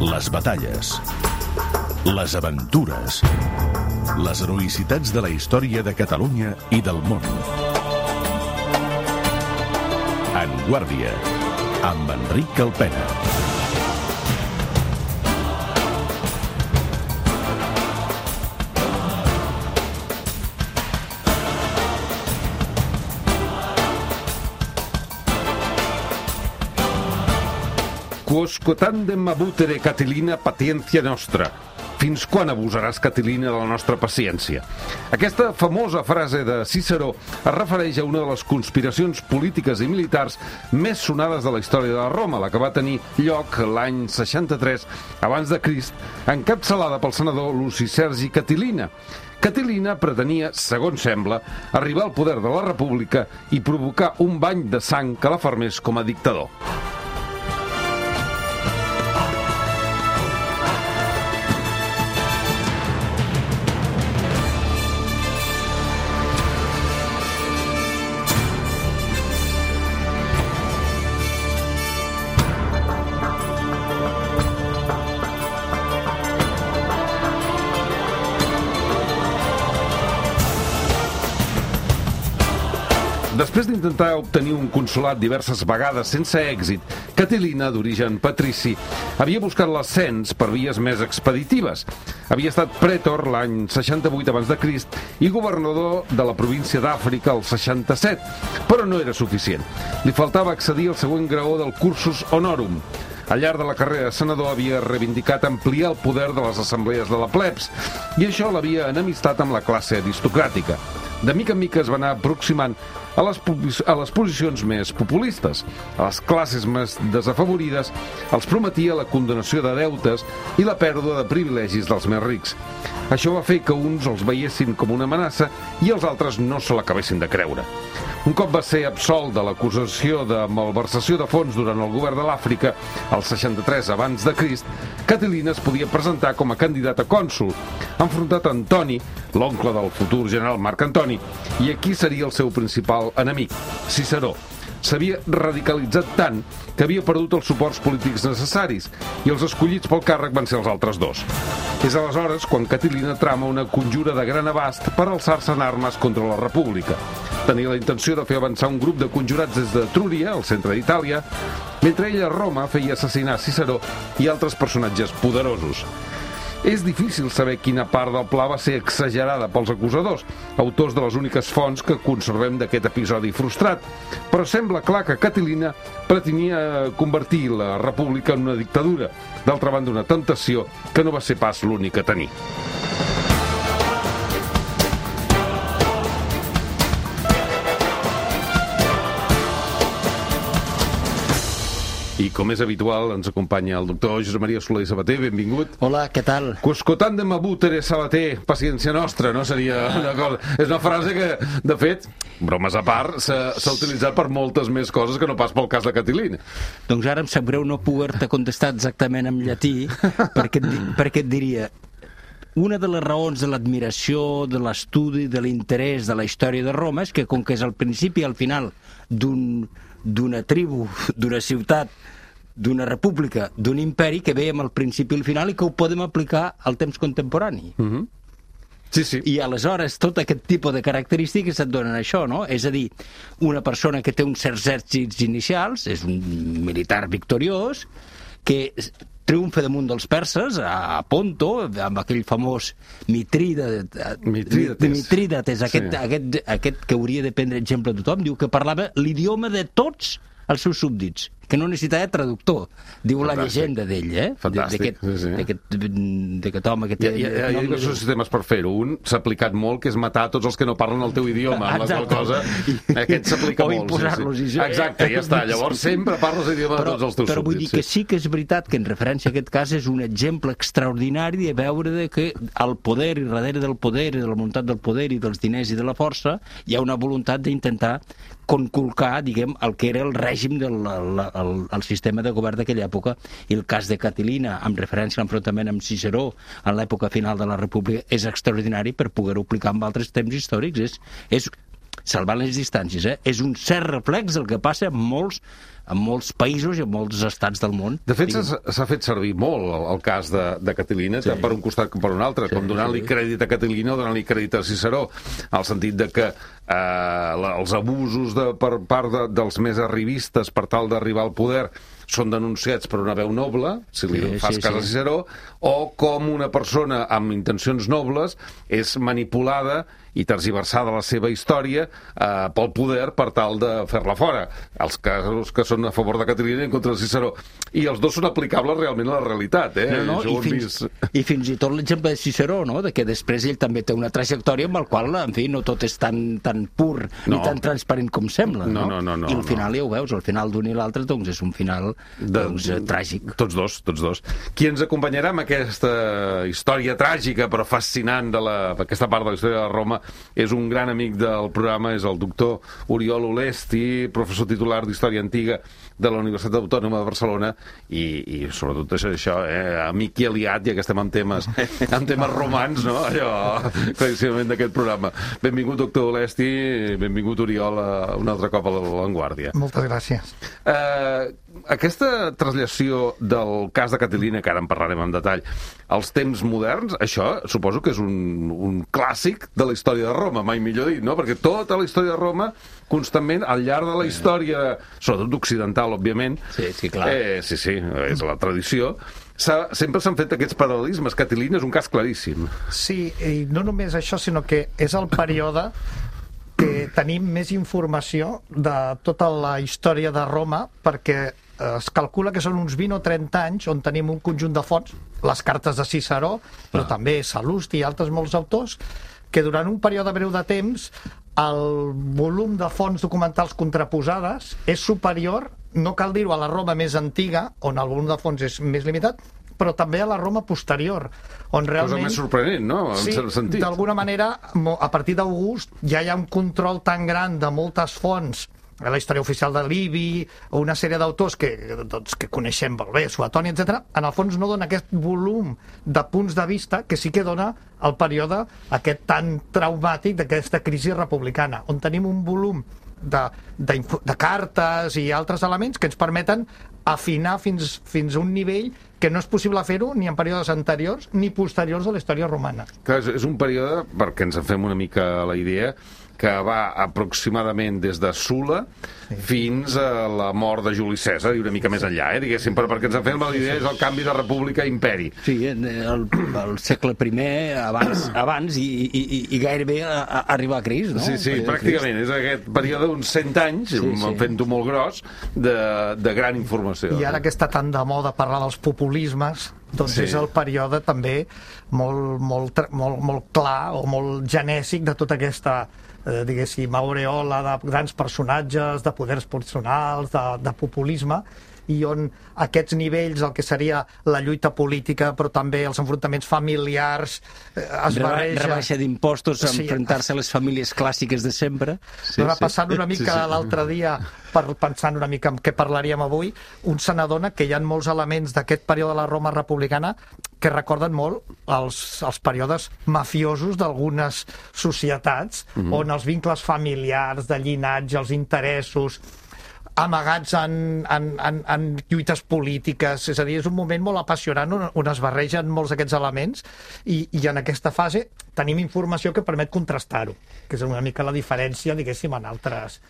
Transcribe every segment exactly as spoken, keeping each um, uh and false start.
les batalles, les aventures, les heroïcitats de la història de Catalunya i del món. En Guàrdia, amb Enric Calpena. Quosque tandem abutere, Catilina, patiència nostra. Fins quan abusaràs, Catilina, de la nostra paciència? Aquesta famosa frase de Ciceró es refereix a una de les conspiracions polítiques i militars més sonades de la història de Roma, la que va tenir lloc l'any seixanta-tres abans de Crist, encapçalada pel senador Luci Sergi Catilina. Catilina pretenia, segons sembla, arribar al poder de la República i provocar un bany de sang que la fermés com a dictador. Després d'intentar obtenir un consolat diverses vegades sense èxit, Catilina, d'origen patrici, havia buscat l'ascens per vies més expeditives. Havia estat prètor l'any seixanta-vuit abans de Crist i governador de la província d'Àfrica el seixanta-set, però no era suficient. Li faltava accedir al següent graó del cursus honorum. Al llarg de la carrera de senador havia reivindicat ampliar el poder de les assemblees de la plebs i això l'havia enemistat amb la classe aristocràtica. De mica en mica es va anar aproximant a les, a les posicions més populistes. A les classes més desafavorides els prometia la condonació de deutes i la pèrdua de privilegis dels més rics. Això va fer que uns els veiessin com una amenaça i els altres no se l'acabessin de creure. Un cop va ser absolt de l'acusació de malversació de fons durant el govern de l'Àfrica, el seixanta-tres abans de Crist, Catilina es podia presentar com a candidat a cònsol, enfrontat a Antoni, l'oncle del futur general Marc Antoni, i aquí seria el seu principal enemic, Ciceró. S'havia radicalitzat tant que havia perdut els suports polítics necessaris i els escollits pel càrrec van ser els altres dos. És aleshores quan Catilina trama una conjura de gran abast per alçar-se en armes contra la República. Tenia la intenció de fer avançar un grup de conjurats des de Trúria, al centre d'Itàlia, mentre ella a Roma feia assassinar Ciceró i altres personatges poderosos. És difícil saber quina part del pla va ser exagerada pels acusadors, autors de les úniques fonts que conservem d'aquest episodi frustrat, però sembla clar que Catilina pretenia convertir la república en una dictadura, d'altra banda una temptació que no va ser pas l'única a tenir. I com és habitual, ens acompanya el doctor Josep Maria Soler i Sabater. Benvingut. Hola, què tal? Quosque tandem abutere, Sabater, paciència nostra, no? Seria una cosa... És una frase que, de fet, bromes a part, s'ha utilitzat per moltes més coses que no pas pel cas de Catilina. Doncs ara em sap greu no poder-te contestar exactament en llatí, perquè, perquè et diria... Una de les raons de l'admiració, de l'estudi, de l'interès de la història de Roma és que, com que és al principi i al final d'un... d'una tribu, d'una ciutat, d'una república, d'un imperi que veiem al principi i al final i que ho podem aplicar al temps contemporani. Mm-hmm. Sí, sí. I aleshores tot aquest tipus de característiques et donen això, no? És a dir, una persona que té uns certs èxits inicials, és un militar victoriós, que triomfa damunt dels perses, a Ponto, amb aquell famós Mitrídates, Mitrídates, Mitrídates aquest, sí. aquest, aquest que hauria de prendre exemple a tothom, diu que parlava l'idioma de tots els seus súbdits, que no necessitava traductor, diu Fantàstic. La llegenda d'ell, eh? Fantàstic, sí, sí. D'aquest home que té... Hi ha, hi ha diversos sistemes per fer-ho. Un s'ha aplicat molt, que és matar tots els que no parlen el teu idioma, amb la qual cosa... Aquest s'aplica o molt. O imposar-los. Sí, sí. Exacte, ja està. Llavors sempre parles l'idioma de tots els teus súbdits. Però vull dir que sí que és veritat que en referència a aquest cas és un exemple extraordinari de veure de que al poder i darrere del poder i de la voluntat del poder i dels diners i de la força hi ha una voluntat d'intentar conculcar, diguem, el que era el règim del el, el, el sistema de govern d'aquella època. I el cas de Catilina, amb referència a l'enfrontament amb Ciceró en l'època final de la República, és extraordinari per poder-ho aplicar en altres temps històrics. És, és salvant les distàncies, eh? És un cert reflex del que passa en molts en molts països i en molts estats del món. De fet, s'ha fet servir molt el, el cas de, de Catilina, sí. tant per un costat com per un altre, sí, com donant-li sí. crèdit a Catilina o donant-li crèdit a Ciceró, al sentit de que eh, la, els abusos de, per part de, dels més arribistes per tal d'arribar al poder són denunciats per una veu noble, si li sí, fas sí, cas a Ciceró, o com una persona amb intencions nobles és manipulada i tergiversada la seva història eh, pel poder per tal de fer-la fora. Els casos que són a favor de Catilina i en contra de Ciceró. I els dos són aplicables realment a la realitat. Eh? No, no, i, fins, vist... I fins i tot l'exemple de Ciceró, no? De que després ell també té una trajectòria amb el qual, en fi, no tot és tan, tan pur no. ni tan transparent com sembla. No? No, no, no, I al final no. ja ho veus, al final d'un i l'altre doncs és un final doncs, de, tràgic. Tots dos, tots dos. Qui ens acompanyarà amb aquesta història tràgica però fascinant de la, aquesta part de la història de Roma és un gran amic del programa, és el doctor Oriol Olesti, professor titular d'Història Antiga de la Universitat Autònoma de Barcelona i, i sobretot això, això eh, amic i aliat, ja que estem en temes, en temes romans, no? Allò, claríssimament d'aquest programa. Benvingut, doctor Olesti, benvingut, Oriol, un altre cop a l'Avantguàrdia. Moltes gràcies. Eh, aquesta traslació del cas de Catilina, que ara en parlarem en detall, als temps moderns, això suposo que és un, un clàssic de la història de Roma, mai millor dit, no? Perquè tota la història de Roma, constantment, al llarg de la història, sobretot occidental, òbviament, sí, sí, clar. Eh, sí, sí, és la tradició, sempre s'han fet aquests paral·lelismes. Catilina és un cas claríssim. Sí, i no només això, sinó que és el període que tenim més informació de tota la història de Roma, perquè es calcula que són uns vint o trenta anys on tenim un conjunt de fonts, les cartes de Ciceró, però ah. també Sal·lusti i altres molts autors, que durant un període breu de temps el volum de fonts documentals contraposades és superior, no cal dir-ho, a la Roma més antiga, on el volum de fonts és més limitat, però també a la Roma posterior, on realment... Cosa més sorprenent, no? En sí, cert sentit. D'alguna manera, a partir d'August ja hi ha un control tan gran de moltes fonts, la història oficial de Livi, o una sèrie d'autors que, doncs, que coneixem molt bé, Suetoni, etcètera. En el fons no dona aquest volum de punts de vista que sí que dona el període aquest tan traumàtic d'aquesta crisi republicana, on tenim un volum de, de, de cartes i altres elements que ens permeten afinar fins, fins a un nivell que no és possible fer-ho ni en períodes anteriors ni posteriors a la història romana. Clar, és un període, perquè ens en fem una mica la idea, que va aproximadament des de Sula sí. fins a la mort de Juli Cèsar i una mica més enllà, eh, diguéssim, perquè ens en fem la idea és el canvi de república a imperi. Sí, el, el segle primer abans, abans i, i, i gairebé a, a arribar a Crist, no? Sí, sí, pràcticament, és aquest període d'uns cent anys, sí, sí. fent-ho molt gros, de, de gran informació. I ara que està tan de moda parlar dels populismes, doncs sí. és el període també molt, molt, molt, molt clar o molt genèsic de tota aquesta eh, diguéssim, aureola de grans personatges, de poders personals, de, de populisme, i on aquests nivells, el que seria la lluita política, però també els enfrontaments familiars, eh, es barreja... Rebaixa d'impostos, sí. enfrontar-se a les famílies clàssiques de sempre. Sí, sí. Passant una mica sí, sí. l'altre dia, per, pensant una mica en què parlaríem avui, un se n'adona que hi ha molts elements d'aquest període de la Roma republicana que recorden molt els, els períodes mafiosos d'algunes societats, mm-hmm. on els vincles familiars, de llinatge, els interessos amagats en, en, en, en lluites polítiques, és a dir, és un moment molt apassionant on, on es barregen molts d'aquests elements i, i en aquesta fase tenim informació que permet contrastar-ho, que és una mica la diferència, diguéssim, en altres,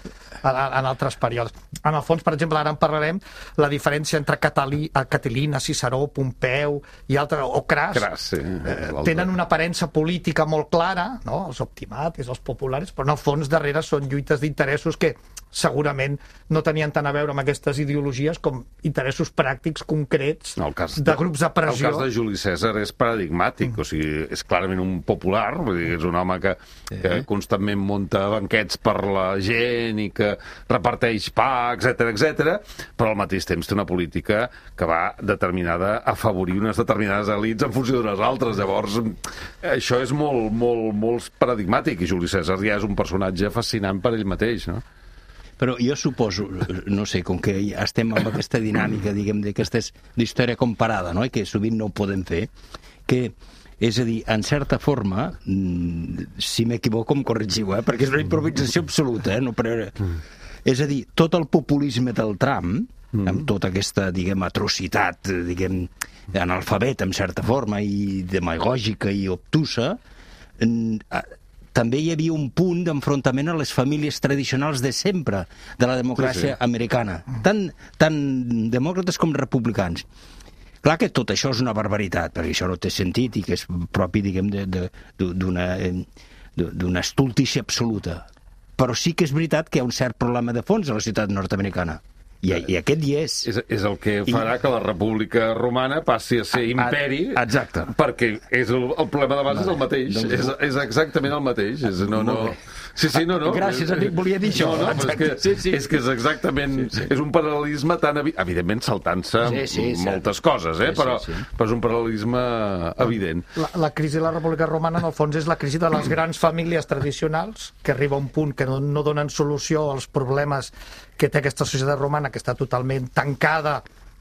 en, en altres períodes. En el fons, per exemple, ara en parlarem, la diferència entre Catalí, Catilina, Ciceró, Pompeu i altres, o Cras, Cras sí, eh, tenen una aparença política molt clara, no? Els optimates, els populares, però en el fons darrere són lluites d'interessos que segurament no tenien tant a veure amb aquestes ideologies com interessos pràctics concrets no, cas, de grups de pressió. El cas de Juli Cèsar és paradigmàtic, mm. o sigui, és clarament un popular, vull dir, és un home que, sí. que constantment munta banquets per la gent i que reparteix pa, etcètera, etcètera, però al mateix temps té una política que va determinada a afavorir unes determinades elits en funció d'unes altres. Llavors, això és molt, molt, molt paradigmàtic, i Juli Cèsar ja és un personatge fascinant per ell mateix, no? Però jo suposo, no sé, com que estem amb aquesta dinàmica, diguem, d'aquesta història comparada, no?, i que sovint no ho podem fer, que, és a dir, en certa forma, si m'equivoco em corregiu, eh?, perquè és una improvisació absoluta, eh?, no, però, és a dir, tot el populisme del Trump mm. amb tota aquesta, diguem, atrocitat, diguem, analfabet, en certa forma, i demagògica i obtusa, també hi havia un punt d'enfrontament a les famílies tradicionals de sempre, de la democràcia sí, sí. americana, tant, tant demòcrates com republicans. Clar que tot això és una barbaritat, perquè això no té sentit i que és propi, diguem, d'una d'una estultícia absoluta. Però sí que és veritat que hi ha un cert problema de fons a la ciutat nord-americana. I, i aquest hi és. És, és el que farà I... que la República Romana passi a ser a, imperi, a, exacte. Perquè és el, el problema de base és el mateix. Doncs... És, és exactament el mateix. És, no, no... Sí, sí, no, no. Gràcies, amic, volia dir això. No, no, és que, sí, sí. és que és exactament... Sí, sí. És un paral·lelisme tan... Evi... Evidentment, saltant-se sí, sí, moltes coses, eh? Sí, però, sí, sí. però és un paral·lelisme evident. La, la crisi de la República Romana, en el fons, és la crisi de les grans famílies tradicionals, que arriba a un punt que no, no donen solució als problemes que té aquesta societat romana, que està totalment tancada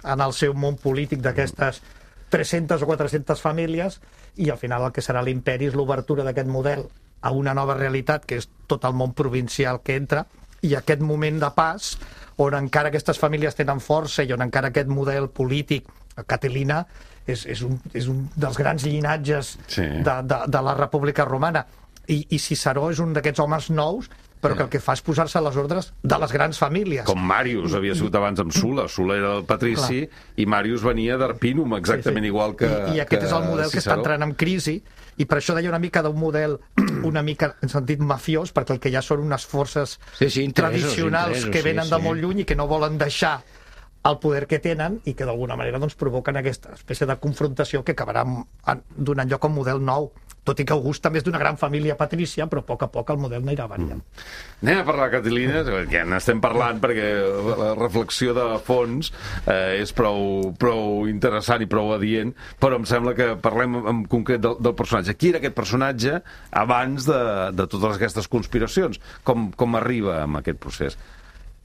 en el seu món polític d'aquestes tres-centes o quatre-centes famílies, i al final el que serà l'imperi és l'obertura d'aquest model a una nova realitat, que és tot el món provincial que entra, i aquest moment de pas, on encara aquestes famílies tenen força i on encara aquest model polític, Catilina, és, és, un, és un dels grans llinatges sí. de, de, de la República Romana. I, i Ciceró és un d'aquests homes nous, però que el que fa és posar-se a les ordres de les grans famílies. Com Màrius havia sigut abans amb Sula. Sula era el patrici Clar. I Màrius venia d'Arpínum, exactament sí, sí. igual que I, i aquest que és el model Ciceró. Que està entrant en crisi, i per això deia una mica d'un model una mica en sentit mafiós, perquè el que hi ha són unes forces sí, sí, tradicionals interessos, que venen sí, de molt lluny i que no volen deixar el poder que tenen i que d'alguna manera doncs, provoquen aquesta espècie de confrontació que acabarà donant lloc a un model nou. Tot i que August també és d'una gran família patrícia, però a poc a poc el model n'anirà variant. Mm. Anem a parlar de Catilina, que n'estem parlant perquè la reflexió de fons eh, és prou, prou interessant i prou adient, però em sembla que parlem en concret del, del personatge. Qui era aquest personatge abans de, de totes aquestes conspiracions? Com, com arriba a aquest procés?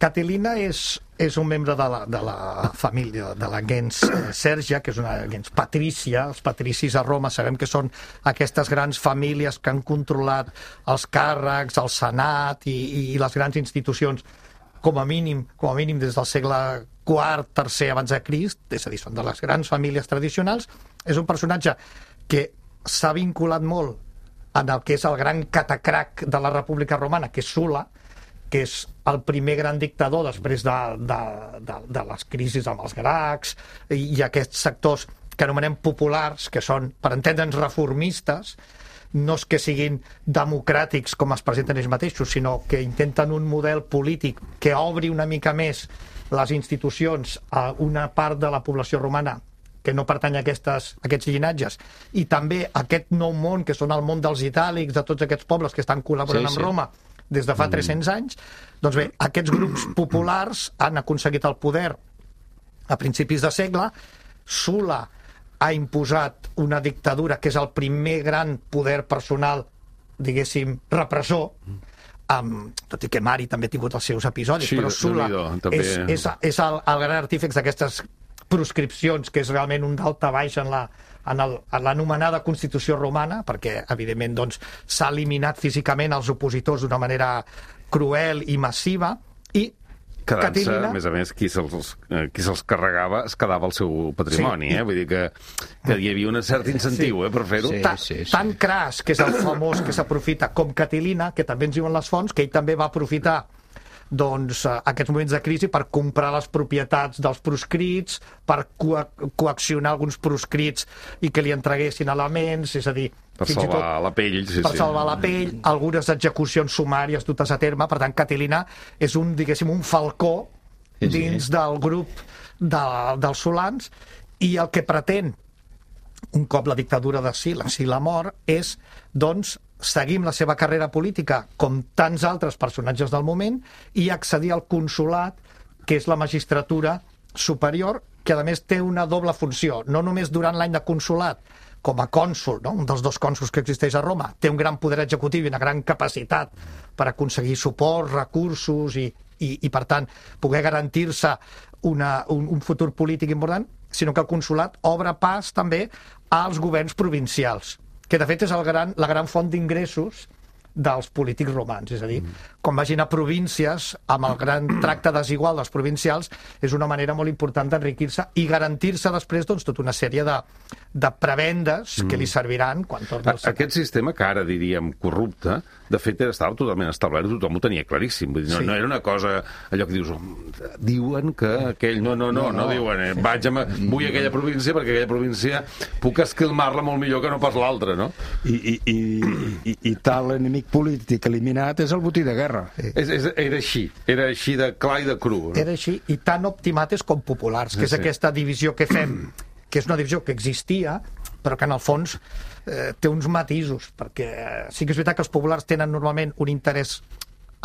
Catilina és, és un membre de la, de la família, de la gens Sèrgia, que és una gens patrícia. Els patricis a Roma sabem que són aquestes grans famílies que han controlat els càrrecs, el senat i, i les grans institucions, com a mínim, com a mínim des del segle quart, tercer abans de Crist, és a dir, són de les grans famílies tradicionals. És un personatge que s'ha vinculat molt en el que és el gran catacrac de la República Romana, que és Sula, que és el primer gran dictador després de, de, de, de les crisis amb els grecs i, i aquests sectors que anomenem populars, que són, per entendre'ns, reformistes, no és que siguin democràtics com es presenten ells mateixos, sinó que intenten un model polític que obri una mica més les institucions a una part de la població romana que no pertany a, aquestes, a aquests llinatges, i també aquest nou món, que són el món dels itàlics, de tots aquests pobles que estan col·laborant sí, sí. amb Roma des de fa tres-cents anys. Doncs bé, aquests grups populars han aconseguit el poder a principis de segle. Sula ha imposat una dictadura que és el primer gran poder personal, diguéssim, repressor, um, tot i que Mari també ha tingut els seus episodis, sí, però Sula també... és, és, és el, el gran artífex d'aquestes proscripcions, que és realment un daltabaix en la en l'anomenada Constitució Romana, perquè, evidentment, doncs, s'ha eliminat físicament els opositors d'una manera cruel i massiva, i Quedant-se, Catilina... a més a més, qui se'ls qui se'ls carregava es quedava el seu patrimoni, sí. eh? Vull dir que, que hi havia un cert incentiu sí. eh, per fer-ho. Sí, sí, sí. Tan cras, que és el famós que s'aprofita, com Catilina, que també ens diuen les fonts, que ell també va aprofitar doncs, aquests moments de crisi per comprar les propietats dels proscrits, per co coaccionar alguns proscrits i que li entreguessin elements, és a dir... Per salvar tot, la pell. Sí, per sí. salvar la pell, algunes execucions sumàries dutes a terme. Per tant, Catilina és un, diguéssim, un falcó sí, sí. dins del grup de, dels solans, i el que pretén, un cop la dictadura de Sila, Sila mor, és, doncs, seguir la seva carrera política com tants altres personatges del moment i accedir al consolat, que és la magistratura superior, que a més té una doble funció, no només durant l'any de consolat, com a cònsul, no? Un dels dos cònsols que existeix a Roma, té un gran poder executiu i una gran capacitat per aconseguir suport, recursos i, i, i per tant, poder garantir-se una, un, un futur polític important, sinó que el consolat obre pas també als governs provincials, que de fet és el gran, la gran font d'ingressos dels polítics romans. És a dir, quan vagin a províncies, amb el gran tracte desigual dels provincials, és una manera molt important d'enriquir-se i garantir-se després doncs, tota una sèrie de, de prebendes que li serviran quan torni al senat. Aquest sistema, que ara diríem corrupte, de fet estava totalment establert, tothom ho tenia claríssim. Vull dir, no, Sí. no era una cosa, allò que dius, diuen que aquell... No, no, no, no, no, no diuen, eh, vaig a... vull a aquella província perquè aquella província puc esquilmar-la molt millor que no pas l'altra, no? I, i, i, i, i tal enemic polític eliminat és el botí de guerra. És, és, era així, era així de clar i de cru. No? Era així, i tan optimates com populars, que és Sí, sí. aquesta divisió que fem, que és una divisió que existia, però que en el fons eh, té uns matisos, perquè eh, sí que és veritat que els populars tenen normalment un interès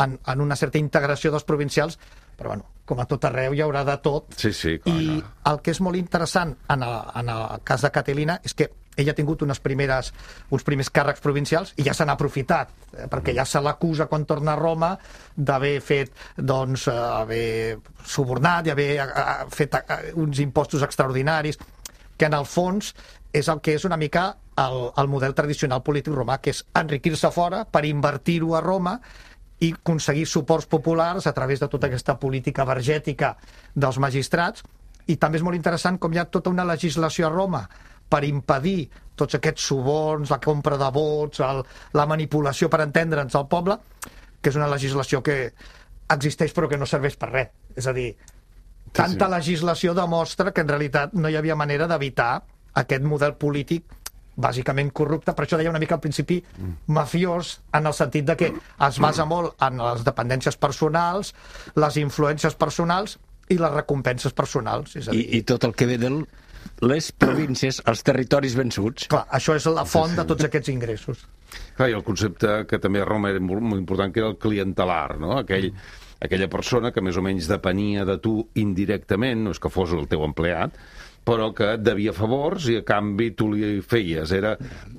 en, en una certa integració dels provincials, però bueno, com a tot arreu hi haurà de tot. Sí, sí, clar, I clar. el que és molt interessant en el, en el cas de Catilina és que ella ha tingut unes primeres, uns primers càrrecs provincials i ja se n'ha aprofitat, eh, perquè ja se l'acusa quan torna a Roma d'haver fet, doncs, eh, haver subornat i haver eh, fet eh, uns impostos extraordinaris, que en el fons és el que és una mica el, el model tradicional polític romà, que és enriquir-se fora per invertir-ho a Roma i aconseguir suports populars a través de tota aquesta política vergètica dels magistrats. I també és molt interessant com hi ha tota una legislació a Roma per impedir tots aquests suborns, la compra de vots, el, la manipulació per entendre'ns al poble, que és una legislació que existeix però que no serveix per res. És a dir, tanta sí. legislació demostra que en realitat no hi havia manera d'evitar aquest model polític bàsicament corrupte, per això deia una mica al principi mafiós, en el sentit de que es basa molt en les dependències personals, les influències personals i les recompenses personals. És a dir, I, i tot el que ve de les províncies, els territoris vençuts. clar, això és la font de tots aquests ingressos. Clar, i el concepte que també a Roma era molt, molt important, que era el clientelar, no? Aquell, aquella persona que més o menys depenia de tu indirectament, no és que fos el teu empleat, però que et devia favors i a canvi tu li feies. Era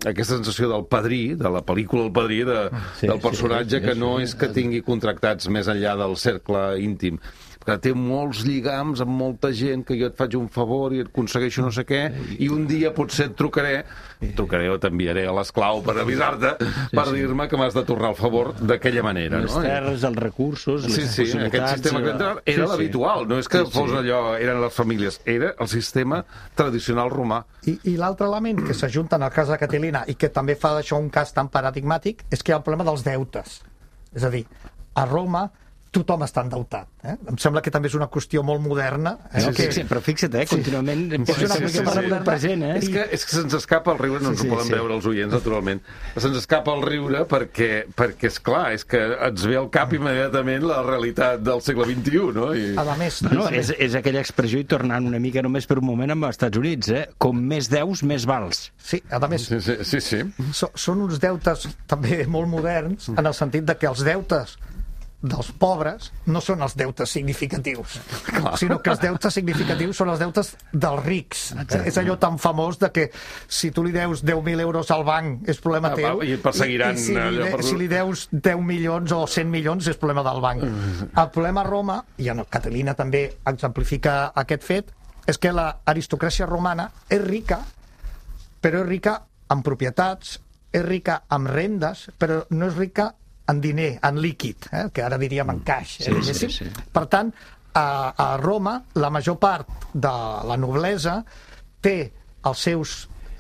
aquesta sensació del padrí, de la pel·lícula El Padrí, de, Sí, del personatge sí, que sí, no sí. és que tingui contractats més enllà del cercle íntim, que té molts lligams amb molta gent, que jo et faig un favor i et aconsegueixo no sé què, i un dia potser et trucaré, et trucaré o t'enviaré a l'esclau per avisar-te, per dir-me que m'has de tornar el favor d'aquella manera. Les No? terres, els recursos, Sí, les sí, possibilitats... aquest sistema clientelar era Sí, sí. l'habitual, no és que Sí, sí. fos allò, eren les famílies, era el sistema tradicional romà. I, i l'altre element que s'ajunta en el cas de Catilina i que també fa d'això un cas tan paradigmàtic és que hi ha el problema dels deutes. És a dir, a Roma tothom està endeutat. Eh? Em sembla que també és una qüestió molt moderna. Eh? No, que... fixa, però fixa't, eh, contínuament... És una Sí, qüestió sí, molt sí. moderna. Present, eh? És que, és que se'ns escapa el riure, no ens Sí, ho sí, poden sí. veure els oients, naturalment. Se'ns escapa el riure perquè, perquè és clar, és que ens ve al cap immediatament la realitat del segle vint-i-u, no? I... A més, No, és, és aquella expressió, i tornant una mica només per un moment amb els Estats Units, eh? Com més deus, més vals. sí, a més Sí, sí, sí, sí. so, són uns deutes també molt moderns en el sentit de que els deutes dels pobres no són els deutes significatius, sinó que els deutes significatius són els deutes dels rics. Exacte. És allò tan famós de que si tu li deus deu mil euros al banc és problema Ah, teu, i et perseguiran i, i si, li allò de, per- si li deus deu milions o cent milions és problema del banc. El problema a Roma, i en Catilina també exemplifica aquest fet, és que l'aristocràcia romana és rica, però és rica en propietats, és rica en rendes, però no és rica en diner, en líquid, eh? que ara diríem en caix. Eh? Sí, sí, sí. Per tant, a, a Roma, la major part de la noblesa té els seus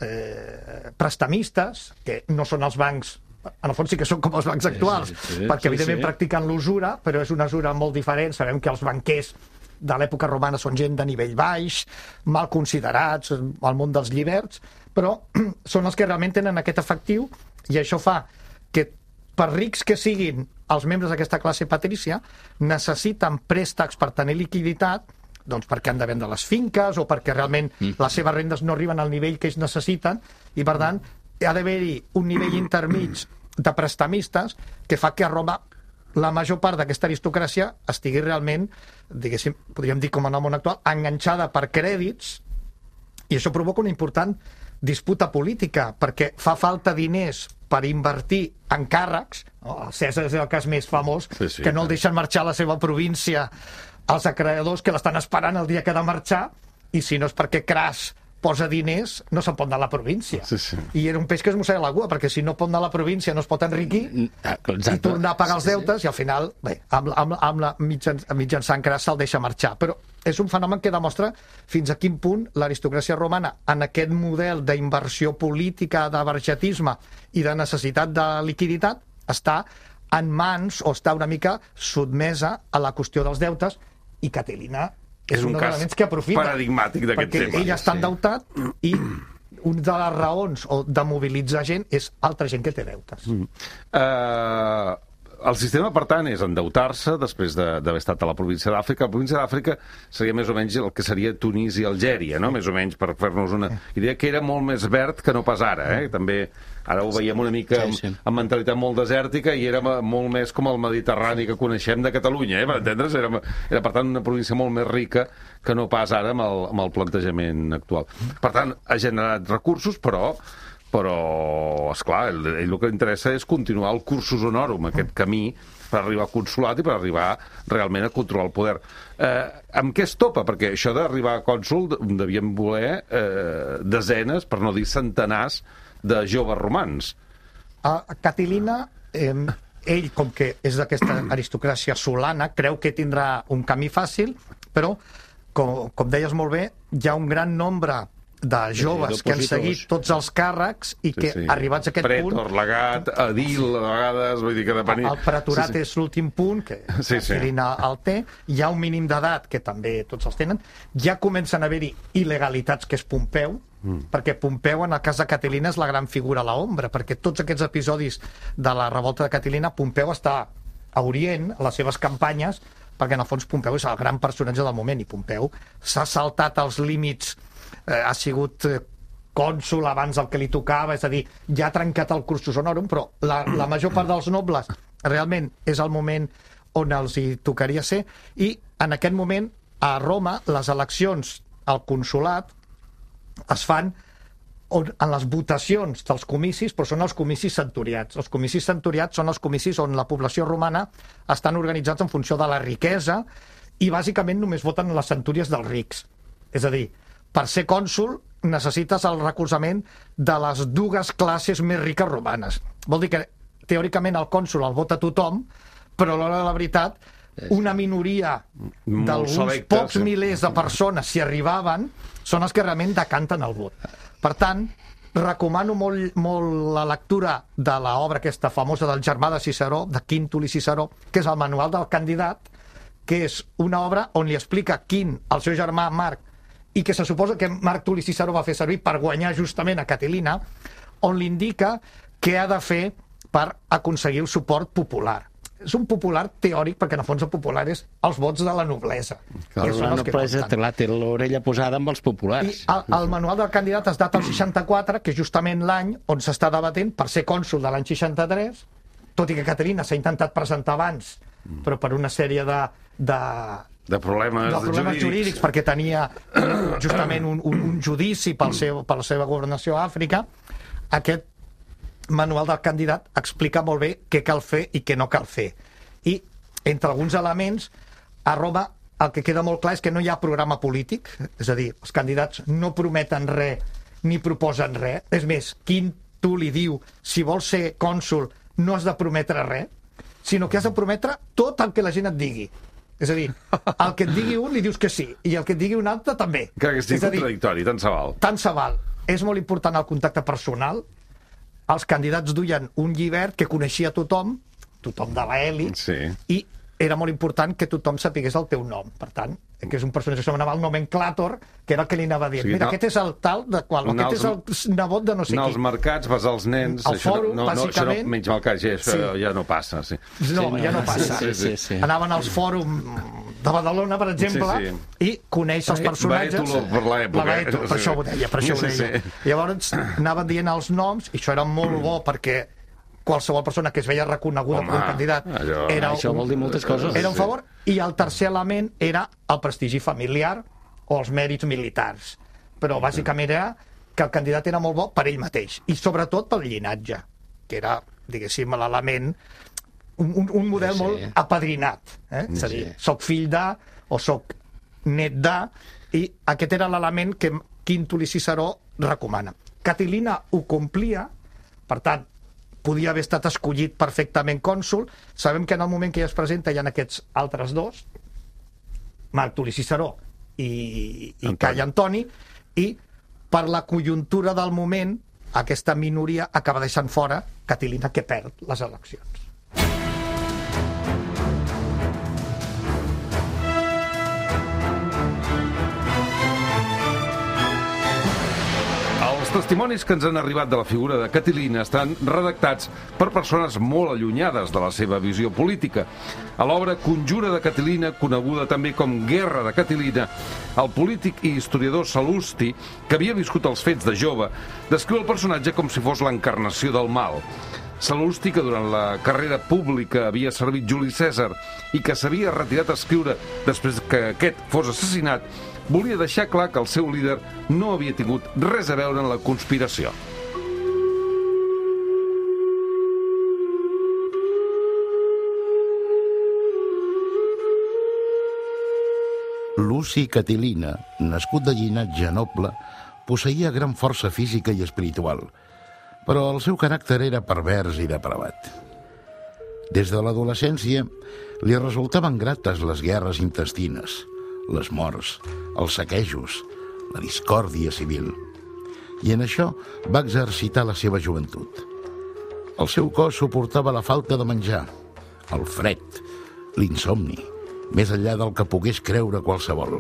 eh, prestamistes, que no són els bancs, en el fons sí que són com els bancs actuals, sí, sí, perquè sí, evidentment sí. practiquen l'usura, però és una usura molt diferent. Sabem que els banquers de l'època romana són gent de nivell baix, mal considerats al món dels lliberts, però són els que realment tenen aquest efectiu, i això fa que per rics que siguin els membres d'aquesta classe patrícia, necessiten préstecs per tenir liquiditat, doncs perquè han de vendre les finques o perquè realment les seves rendes no arriben al nivell que ells necessiten, i per tant ha d'haver-hi un nivell intermig de prestamistes que fa que a Roma la major part d'aquesta aristocràcia estigui realment, diguéssim, podríem dir com en el món actual, enganxada per crèdits, i això provoca una important disputa política, perquè fa falta diners per invertir en càrrecs. No? El Cèsar és el cas més famós, Sí, sí, que no el clar. deixen marxar a la seva província els acreedors que l'estan esperant el dia que ha de marxar, i si no és perquè Cras posa diners, no se'n pot anar a la província. Sí, sí. I era un peix que es mossega la cua, perquè si no pot anar a la província no es pot enriquir Exacte. i tornar a pagar els deutes, i al final, bé, amb, amb, amb la mitjan, mitjançant cras se'l deixa marxar. Però és un fenomen que demostra fins a quin punt l'aristocràcia romana, en aquest model d'inversió política, de vergetisme i de necessitat de liquiditat, està en mans o està una mica sotmesa a la qüestió dels deutes, i Catilina és, És un un dels cas elements que aprofita. paradigmàtic d'aquest perquè tema. ell està Sí. endeutat i una de les raons o de mobilitzar gent és altra gent que té deutes. Mm. Uh, el sistema, per tant, és endeutar-se després d'haver estat a la província d'Àfrica. La província d'Àfrica seria més o menys el que seria Tunís i Algèria, no? Més o menys, per fer-nos una idea, que era molt més verd que no pas ara, eh? També ara ho veiem una mica amb, Sí, sí. amb mentalitat molt desèrtica i era molt més com el Mediterrani que coneixem de Catalunya, eh? Per entendre's, era, era per tant una província molt més rica que no pas ara amb el, amb el plantejament actual. Per tant, ha generat recursos, però però, esclar, ell, ell el que interessa és continuar el cursus honorum, aquest camí per arribar a consulat i per arribar realment a controlar el poder. Eh, amb què es topa? Perquè això d'arribar a cònsul devien voler eh, desenes, per no dir centenars, de joves romans. A Catilina, eh, ell, com que és d'aquesta aristocràcia solana, creu que tindrà un camí fàcil, però, com, com deies molt bé, hi ha un gran nombre de joves sí, que han seguit tots els càrrecs i que, Sí, sí. arribats a aquest Pretor, punt... legat, edil, a vegades, vull dir que depenia... El pretorat sí, sí. és l'últim punt, que Sí, sí. Catilina el té. Hi ha un mínim d'edat, que també tots els tenen. Ja comencen a haver-hi il·legalitats, que és Pompeu, mm. perquè Pompeu, en el cas de Catilina, és la gran figura a l'ombra, perquè tots aquests episodis de la revolta de Catilina, Pompeu està a Orient, a les seves campanyes, perquè en el fons Pompeu és el gran personatge del moment, i Pompeu s'ha saltat els límits, eh, ha sigut eh, cònsul abans del que li tocava, és a dir, ja ha trencat el cursus honorum, però la, la major part dels nobles realment és el moment on els hi tocaria ser, i en aquest moment a Roma les eleccions al consulat es fan on, en les votacions dels comicis, però són els comicis centuriats. Els comicis centuriats són els comicis on la població romana estan organitzats en funció de la riquesa i bàsicament només voten les centúries dels rics. És a dir, per ser cònsul necessites el recolzament de les dues classes més riques romanes. Vol dir que teòricament el cònsul el vota tothom, però a l'hora de la veritat una minoria d'alguns selectes, pocs sí. milers de persones, si arribaven, són els que realment decanten el vot. Per tant, recomano molt, molt la lectura de l'obra aquesta famosa del germà de Ciceró, de Quint Tul·li Ciceró, que és el manual del candidat, que és una obra on li explica Quint, el seu germà Marc, i que se suposa que Marc Tul·li Ciceró va fer servir per guanyar justament a Catilina, on li indica què ha de fer per aconseguir el suport popular. És un popular teòric, perquè en el fons el popular és els vots de la noblesa. Clar, la noblesa té, té l'orella posada amb els populars. I el, el manual del candidat es data al seixanta-quatre, que és justament l'any on s'està debatent per ser cònsul de l'any seixanta-tres, tot i que Caterina s'ha intentat presentar abans, però per una sèrie de... de de problemes, de problemes jurídics. jurídics, perquè tenia justament un, un, un judici pel seu, per la seva governació a Àfrica. Aquest manual del candidat explica molt bé què cal fer i què no cal fer. I, entre alguns elements, a Roma el que queda molt clar és que no hi ha programa polític, és a dir, els candidats no prometen res ni proposen res. És més, Quint Tul·li diu, si vols ser cònsul no has de prometre res, sinó que has de prometre tot el que la gent et digui. És a dir, el que et digui un li dius que sí, i el que et digui un altre també. Que estigui contradictori, tant se val. Tant se val. És molt important el contacte personal. Els candidats duien un llibret que coneixia tothom, tothom de l'elit, sí. i era molt important que tothom sapigués el teu nom. Per tant, que és un personatge que s'anomenava el nomenclàtor, que era el que li anava a dir. O sigui, Mira, no, aquest és el tal de qual, aquest és el nebot de no sé qui. Anar als mercats, basar els nens... Al fòrum, no, no, bàsicament... Això no, menys mal que ja, això sí. ja no passa, sí. No, sí, no, ja no passa. Sí, sí, sí. Anaven als fòrums de Badalona, per exemple, sí, sí. i coneix els personatges... Baètolo per l'època. La Baètolo, per això ho deia, per això ho deia. Sí, sí. Llavors anaven dient els noms, i això era molt bo perquè qualsevol persona que es veia reconeguda com un candidat allò... era això un, vol dir moltes coses. Era un favor. I el tercer element era el prestigi familiar o els mèrits militars. Però bàsicament era que el candidat era molt bo per ell mateix, i sobretot pel llinatge, que era, diguéssim, l'element, un, un, un model sí. molt apadrinat. Eh? És a dir, soc fill de, o soc net de, i aquest era l'element que, Quintuli Ciceró recomana. Catilina ho complia, per tant, podia haver estat escollit perfectament cònsol. Sabem que en el moment que ja es presenta hi ha aquests altres dos, Marc Tuli Ciceró i, i Cai Antoni, i per la conjuntura del moment aquesta minoria acaba deixant fora Catilina, que perd les eleccions. Els testimonis que ens han arribat de la figura de Catilina estan redactats per persones molt allunyades de la seva visió política. A l'obra Conjura de Catilina, coneguda també com Guerra de Catilina, el polític i historiador Sal·lusti, que havia viscut els fets de jove, descriu el personatge com si fos l'encarnació del mal. Sal·lusti, que durant la carrera pública havia servit Juli Cèsar i que s'havia retirat a escriure després que aquest fos assassinat, volia deixar clar que el seu líder no havia tingut res a veure en la conspiració. Luci Catilina, nascut de llinatge noble, posseïa gran força física i espiritual, però el seu caràcter era pervers i depravat. Des de l'adolescència li resultaven grates les guerres intestines, les morts, els saquejos, la discòrdia civil. I en això va exercitar la seva joventut. El seu cos suportava la falta de menjar, el fred, l'insomni, més enllà del que pogués creure qualsevol.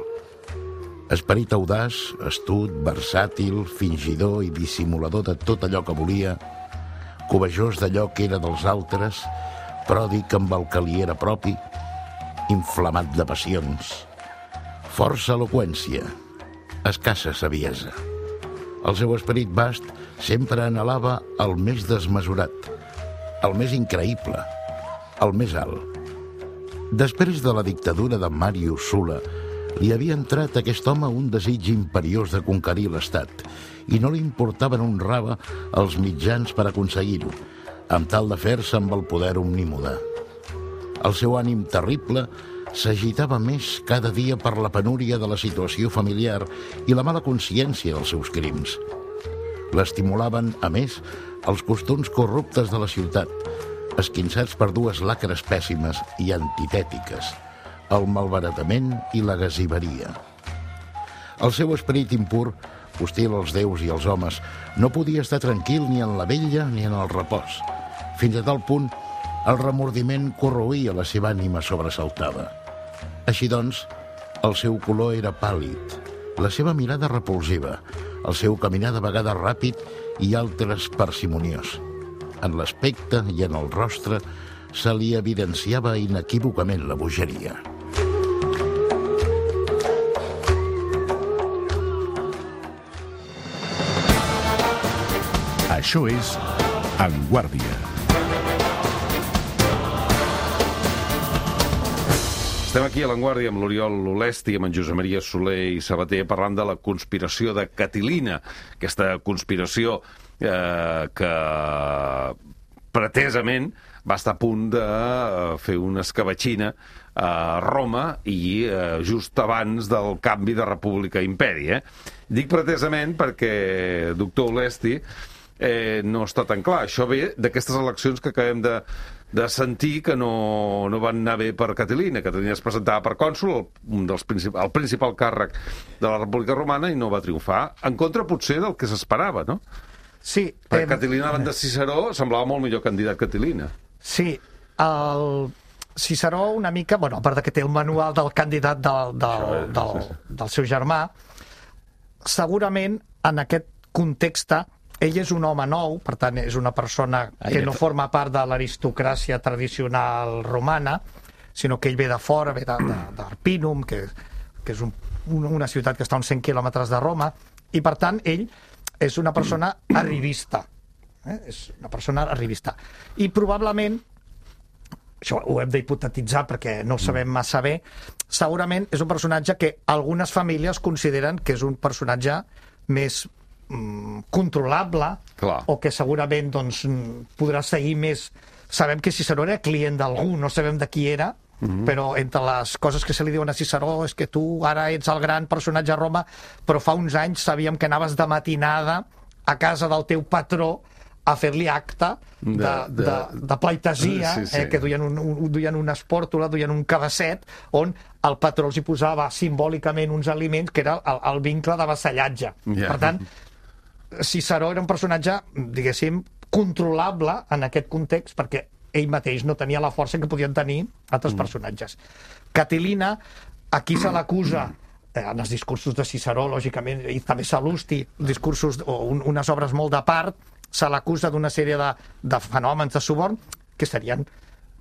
Esperit audaç, astut, versàtil, fingidor i dissimulador de tot allò que volia, covejós d'allò que era dels altres, pròdig amb el que li era propi, inflamat de passions, força eloqüència, escassa saviesa. El seu esperit vast sempre anhelava el més desmesurat, el més increïble, el més alt. Després de la dictadura de Màrius Sula, li havia entrat a aquest home un desig imperiós de conquerir l'Estat i no li importaven un rave els mitjans per aconseguir-ho, amb tal de fer-se amb el poder omnímode. El seu ànim terrible s'agitava més cada dia per la penúria de la situació familiar i la mala consciència dels seus crims. L'estimulaven, a més, els costums corruptes de la ciutat, esquinçats per dues lacres pèssimes i antitètiques, el malbaratament i la gasiveria. El seu esperit impur, hostil als déus i als homes, no podia estar tranquil ni en la vetlla ni en el repòs. Fins a tal punt, el remordiment corroïa la seva ànima sobresaltada. Així doncs, el seu color era pàl·lid, la seva mirada repulsiva, el seu caminar de vegades ràpid i altres parsimoniós. En l'aspecte i en el rostre se li evidenciava inequívocament la bogeria. Això és En Guàrdia. Estem aquí a l'Enguàrdia amb l'Oriol Olesti, amb en Josep Maria Soler i Sabater, parlant de la conspiració de Catilina, aquesta conspiració eh, que pretesament va estar a punt de fer una escabatxina a Roma i eh, just abans del canvi de república a imperi. Eh? Dic pretesament perquè, doctor Olesti, eh, no està tan clar. Això ve d'aquestes eleccions que acabem de de sentir que no, no van anar bé per Catilina. Catilina es presentava per cònsol, un dels princip el principal càrrec de la República Romana, i no va triomfar, en contra potser del que s'esperava, no? Sí. Perquè eh, Catilina davant de Ciceró semblava molt millor candidat Catilina. Sí, el Ciceró una mica, bueno, a part que té el manual del candidat del, del, del, del seu germà, segurament en aquest context ell és un home nou, per tant és una persona que no forma part de l'aristocràcia tradicional romana, sinó que ell ve de fora, ve d'Arpínum, que, que és un, una ciutat que està a uns cent quilòmetres de Roma, i per tant ell és una persona arribista. Eh? És una persona arribista. I probablement, això ho hem d'hipotetitzar perquè no ho sabem massa bé, segurament és un personatge que algunes famílies consideren que és un personatge més controlable. Clar. O que segurament doncs, podrà seguir més. Sabem que Ciceró era client d'algú, no sabem de qui era, Mm-hmm. Però entre les coses que se li diuen a Ciceró és que tu ara ets el gran personatge a Roma, però fa uns anys sabíem que anaves de matinada a casa del teu patró a fer-li acte de, de, de, de pleitesia, sí, sí. Eh, que duien, un, un, duien una espòrtula, duien un cabasset, on el patró els hi posava simbòlicament uns aliments, que era el, el vincle de vassallatge. Yeah. Per tant, Ciceró era un personatge, diguéssim, controlable en aquest context, perquè ell mateix no tenia la força que podien tenir altres mm. personatges. Catilina, aquí se l'acusa, eh, en els discursos de Ciceró, lògicament, i també Sal·lusti, discursos o un, unes obres molt de part, se l'acusa d'una sèrie de, de fenòmens de suborn que serien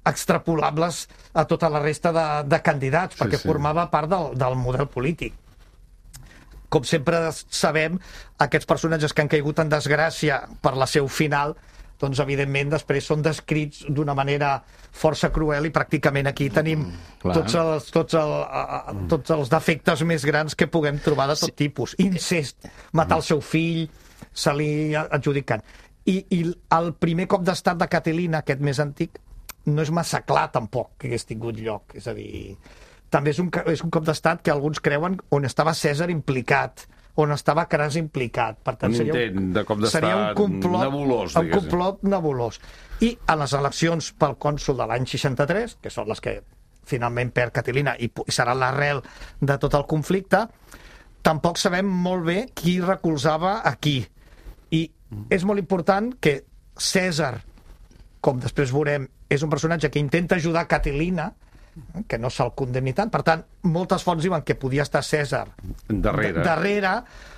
extrapolables a tota la resta de, de candidats, sí, perquè sí. formava part del, del model polític. Com sempre sabem, aquests personatges que han caigut en desgràcia per la seu final, doncs evidentment després són descrits d'una manera força cruel i pràcticament aquí tenim mm, tots, els, tots, el, a, tots els defectes més grans que puguem trobar de tot sí. tipus. Incest, matar el seu fill, se li adjudicant. I, I el primer cop d'estat de Catilina, aquest més antic, no és massa clar tampoc que hagués tingut lloc. És a dir, també és un, és un cop d'estat que alguns creuen on estava Cèsar implicat, on estava Cras implicat. Per tant, un seria intent de cop d'estat un complot nebulós. Un complot nebulós. I a les eleccions pel cònsol de l'any seixanta-tres, que són les que finalment perd Catilina i, i serà l'arrel de tot el conflicte, tampoc sabem molt bé qui recolzava a qui. I és molt important que Cèsar, com després veurem, és un personatge que intenta ajudar Catilina, que no se'l condemni tant. Per tant, moltes fonts diuen que podia estar Cèsar darrere, darrere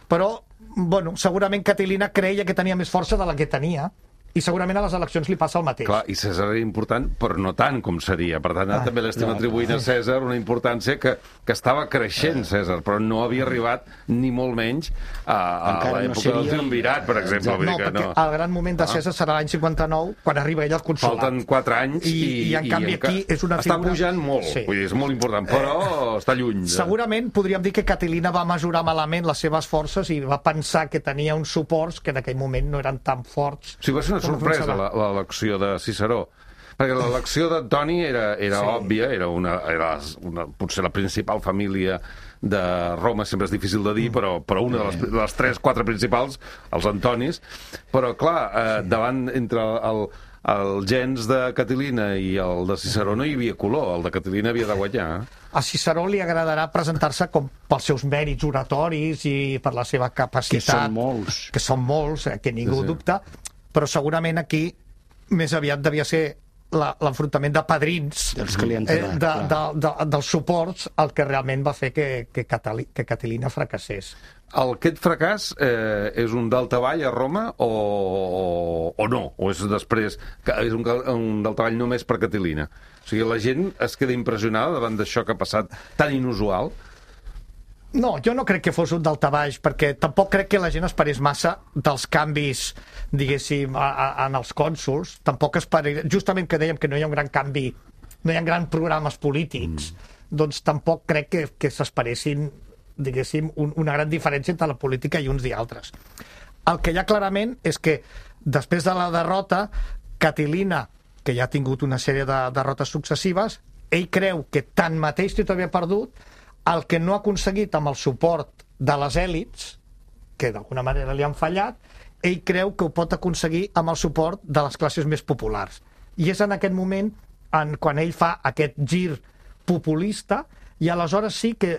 però bueno, segurament Catilina creia que tenia més força de la que tenia, i segurament a les eleccions li passa el mateix. Clar, i Cèsar era important, però no tant com seria. Per tant, ah, també l'estem no, atribuint a Cèsar una importància que, que estava creixent, Cèsar, però no havia arribat ni molt menys a, a l'època no seria... del triumvirat, per exemple. No, perquè no. el gran moment de Cèsar ah. serà l'any cinquanta-nou, quan arriba ell al consolat. Falten quatre anys i, i, i en canvi i aquí és una figura... Està pujant molt, sí. vull dir, és molt important, però eh, està lluny. De... Segurament podríem dir que Catilina va mesurar malament les seves forces i va pensar que tenia uns suports que en aquell moment no eren tan forts. Sí, va ser una sorpresa, la, l'elecció de Ciceró, perquè l'elecció d'Antoni era, era sí. òbvia, era, una, era una, potser la principal família de Roma, sempre és difícil de dir, però, però una de les, de les tres, quatre principals, els Antonis, però clar, eh, davant entre el, el gens de Catilina i el de Ciceró no hi havia color, el de Catilina havia de guanyar. A Ciceró li agradarà presentar-se com pels seus mèrits oratoris i per la seva capacitat, que són molts, que són molts, eh, que ningú sí, sí. dubta, però segurament aquí més aviat devia ser l'enfrontament de padrins dels clientelars, eh, de, de, de, dels suports el que realment va fer que, que, Catali, que Catilina fracassés. El, aquest fracàs eh, és un daltavall a Roma o, o, o no? O és després que és un, un daltavall només per Catilina? O sigui, la gent es queda impressionada davant d'això que ha passat tan inusual? No, jo no crec que fos un daltabaix, perquè tampoc crec que la gent esperés massa dels canvis, diguéssim, a, a, en els cònsols. Tampoc esperés, justament que dèiem que no hi ha un gran canvi, no hi ha grans programes polítics, mm. doncs tampoc crec que, que s'esperessin, diguéssim, un, una gran diferència entre la política i uns i altres. El que hi ha clarament és que després de la derrota, Catilina, que ja ha tingut una sèrie de derrotes successives, ell creu que tanmateix tot havia perdut, el que no ha aconseguit amb el suport de les èlits, que d'alguna manera li han fallat, ell creu que ho pot aconseguir amb el suport de les classes més populars. I és en aquest moment en, quan ell fa aquest gir populista i aleshores sí que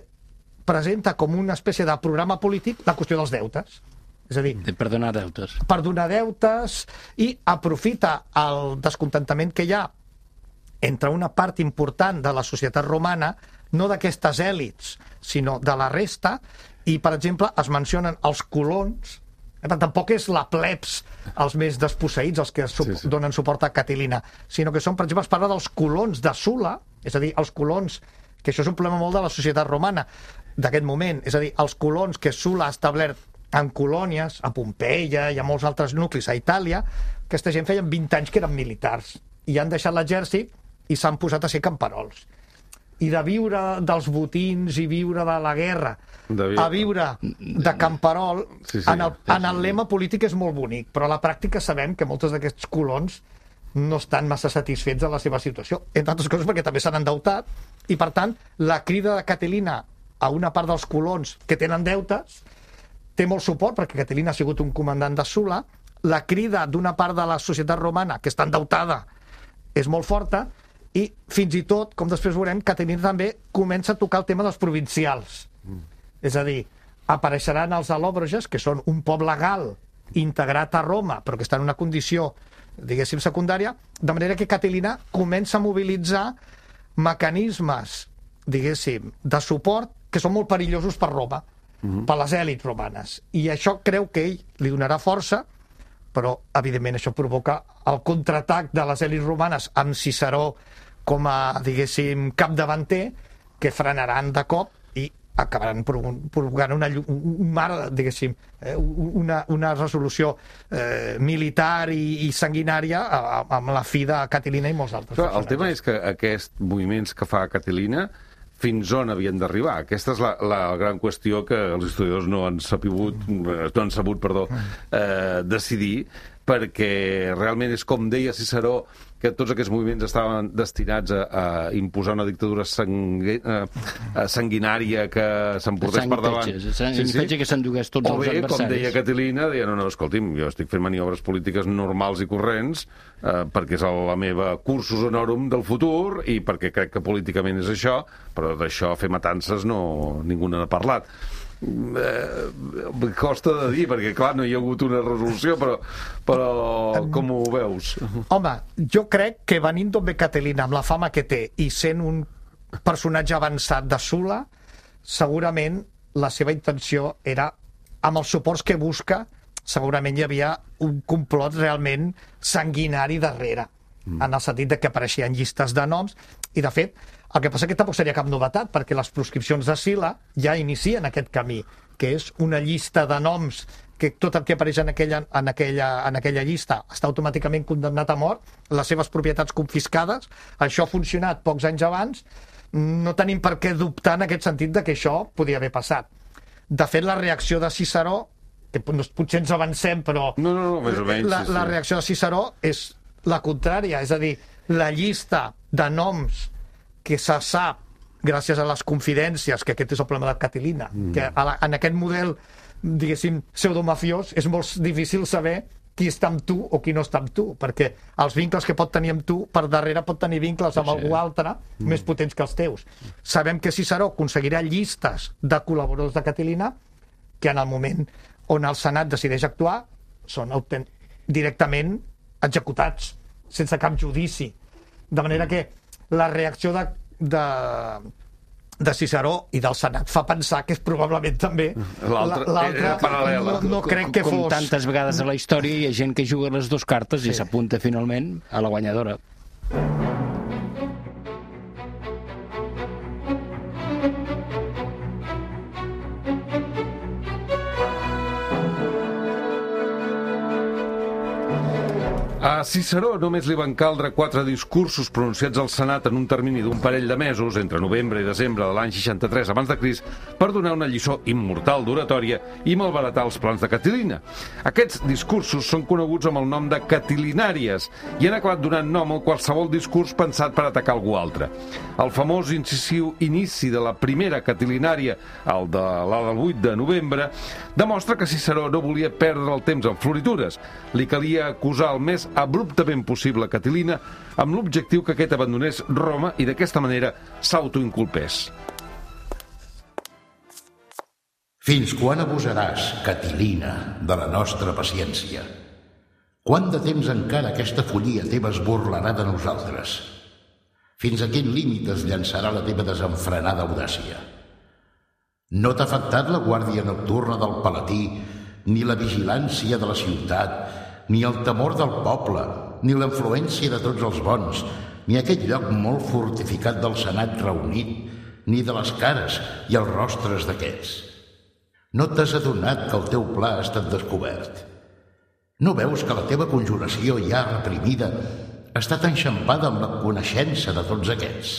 presenta com una espècie de programa polític la qüestió dels deutes. És a dir, per donar deutes. Per donar deutes i aprofita el descontentament que hi ha entre una part important de la societat romana, no d'aquestes èlits, sinó de la resta, i, per exemple, es mencionen els colons, eh, tampoc és la plebs els més desposseïts, els que su sí, sí. donen suport a Catilina, sinó que són, per exemple, es parla dels colons de Sula, és a dir, els colons, que això és un problema molt de la societat romana d'aquest moment, és a dir, els colons que Sula ha establert en colònies, a Pompeia i a molts altres nuclis a Itàlia, aquesta gent feien vint anys que eren militars, i han deixat l'exèrcit i s'han posat a ser camperols. I de viure dels botins i viure de la guerra de a viure de camperol, sí, sí, en, el, en el lema polític és molt bonic, però a la pràctica sabem que molts d'aquests colons no estan massa satisfets de la seva situació, entre altres coses perquè també s'han endeutat, i per tant la crida de Catilina a una part dels colons que tenen deutes té molt suport, perquè Catilina ha sigut un comandant de Sula. La crida d'una part de la societat romana que està endeutada és molt forta, i fins i tot, com després veurem, Catilina també comença a tocar el tema dels provincials. Mm. És a dir, apareixeran els alòbroges, que són un poble gal integrat a Roma, però que està en una condició, diguéssim, secundària, de manera que Catilina comença a mobilitzar mecanismes, diguéssim, de suport que són molt perillosos per Roma, mm-hmm. per les èlits romanes. I això creu que ell li donarà força, però, evidentment, això provoca el contraatac de les èlits romanes amb Ciceró com a, diguéssim, capdavanter, que frenaran de cop i acabaran provocant una, un mar, diguéssim, una, una resolució eh, militar i, i sanguinària amb la fi de Catilina i molts altres. Però el tema és que aquests moviments que fa Catilina fins on havien d'arribar? Aquesta és la, la gran qüestió que els historiadors no han sabut, no han sabut, perdó, eh, decidir, perquè realment és com deia Ciceró, que tots aquests moviments estaven destinats a, a imposar una dictadura sangu... a, sanguinària que s'emportés per davant. Sí, sí. Que s'endugués tots o els bé, adversaris. com deia Catilina, deia, no, no, escolti'm, jo estic fent maniobres polítiques normals i corrents eh, perquè és la meva cursus honorum del futur i perquè crec que políticament és això, però d'això fer matances no, ningú n'ha parlat. Eh, costa de dir, perquè clar, no hi ha hagut una resolució, però, però com ho veus? Home, jo crec que venint d'on ve Catilina, amb la fama que té i sent un personatge avançat de Sula, segurament la seva intenció era, amb els suports que busca, segurament hi havia un complot realment sanguinari darrere, mm. en el sentit de que apareixien llistes de noms, i de fet el que passa que tampoc seria cap novetat, perquè les proscripcions de Sila ja inicien aquest camí, que és una llista de noms que tot el que apareix en aquella, en aquella, en aquella llista està automàticament condemnat a mort, les seves propietats confiscades. Això ha funcionat pocs anys abans, no tenim per què dubtar en aquest sentit de que això podia haver passat. De fet, la reacció de Ciceró, que potser ens avancem, però no, no, no, més o menys, la, sí, sí. la reacció de Ciceró és la contrària, és a dir, la llista de noms que se sap, gràcies a les confidències, que aquest és el problema de Catilina, mm. que a la, en aquest model, diguéssim, pseudomafiós, és molt difícil saber qui està amb tu o qui no està amb tu, perquè els vincles que pot tenir amb tu, per darrere pot tenir vincles amb sí. algú altre mm. més potents que els teus. Sabem que Ciceró aconseguirà llistes de col·laboradors de Catilina que en el moment on el Senat decideix actuar són directament executats, sense cap judici. De manera que la reacció de, de, de Ciceró i del Senat fa pensar que és probablement també l'altra paral·lela. No, no crec que com fos... tantes vegades a la història hi ha gent que juga les dues cartes sí. i s'apunta finalment a la guanyadora. A Ciceró només li van caldre quatre discursos pronunciats al Senat en un termini d'un parell de mesos, entre novembre i desembre de l'any seixanta-tres abans de Crist, per donar una lliçó immortal d'oratòria i malbaratar els plans de Catilina. Aquests discursos són coneguts amb el nom de catilinàries i han acabat donant nom a qualsevol discurs pensat per atacar algú altre. El famós incisiu inici de la primera catilinària, el de la del vuit de novembre, demostra que Ciceró no volia perdre el temps en floritures. Li calia acusar el més abruptament possible Catilina amb l'objectiu que aquest abandonés Roma i d'aquesta manera s'autoinculpés. Fins quan abusaràs, Catilina, de la nostra paciència? Quant de temps encara aquesta follia teva es burlarà de nosaltres? Fins a quin límit es llançarà la teva desenfrenada audàcia? No t'ha afectat la guàrdia nocturna del Palatí, ni la vigilància de la ciutat, ni el temor del poble, ni la influència de tots els bons, ni aquest lloc molt fortificat del Senat reunit, ni de les cares i els rostres d'aquests. No t'has adonat que el teu pla ha estat descobert? No veus que la teva conjuració ja reprimida ha estat enxampada amb la coneixença de tots aquests?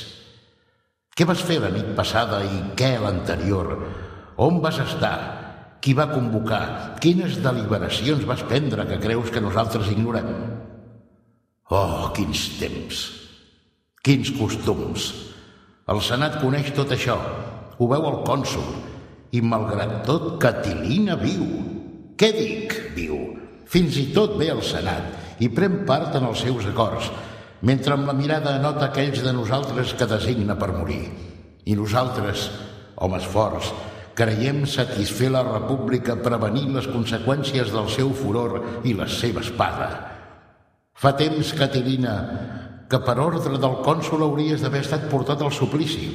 Què vas fer la nit passada i què l'anterior? On vas estar? Qui va convocar? Quines deliberacions vas prendre que creus que nosaltres ignorem? Oh, quins temps! Quins costums! El Senat coneix tot això, ho veu el cònsol, i malgrat tot Catilina viu. Què dic, viu? Fins i tot ve al Senat i pren part en els seus acords, mentre amb la mirada anota aquells de nosaltres que designa per morir. I nosaltres, homes forts, creiem satisfer la república prevenint les conseqüències del seu furor i la seva espada. Fa temps, Catilina, que per ordre del cònsol hauries d'haver estat portat al suplici,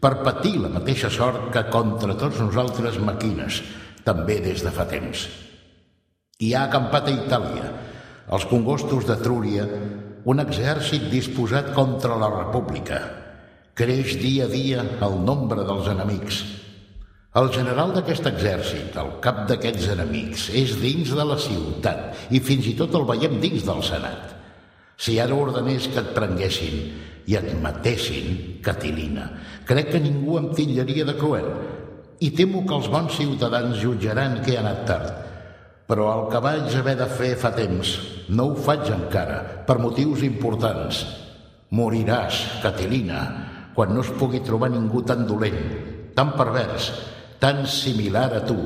per patir la mateixa sort que contra tots nosaltres maquines, també des de fa temps. Hi ha acampat a Itàlia, als congostos d'Etrúria, un exèrcit disposat contra la república. Creix dia a dia el nombre dels enemics. El general d'aquest exèrcit, el cap d'aquests enemics, és dins de la ciutat i fins i tot el veiem dins del Senat. Si ara ordenés que et prenguessin i et matessin, Catilina, crec que ningú em titllaria de cruel i temo que els bons ciutadans jutjaran que he anat tard. Però el que vaig haver de fer fa temps no ho faig encara, per motius importants. Moriràs, Catilina, quan no es pugui trobar ningú tan dolent, tan pervers, tan similar a tu,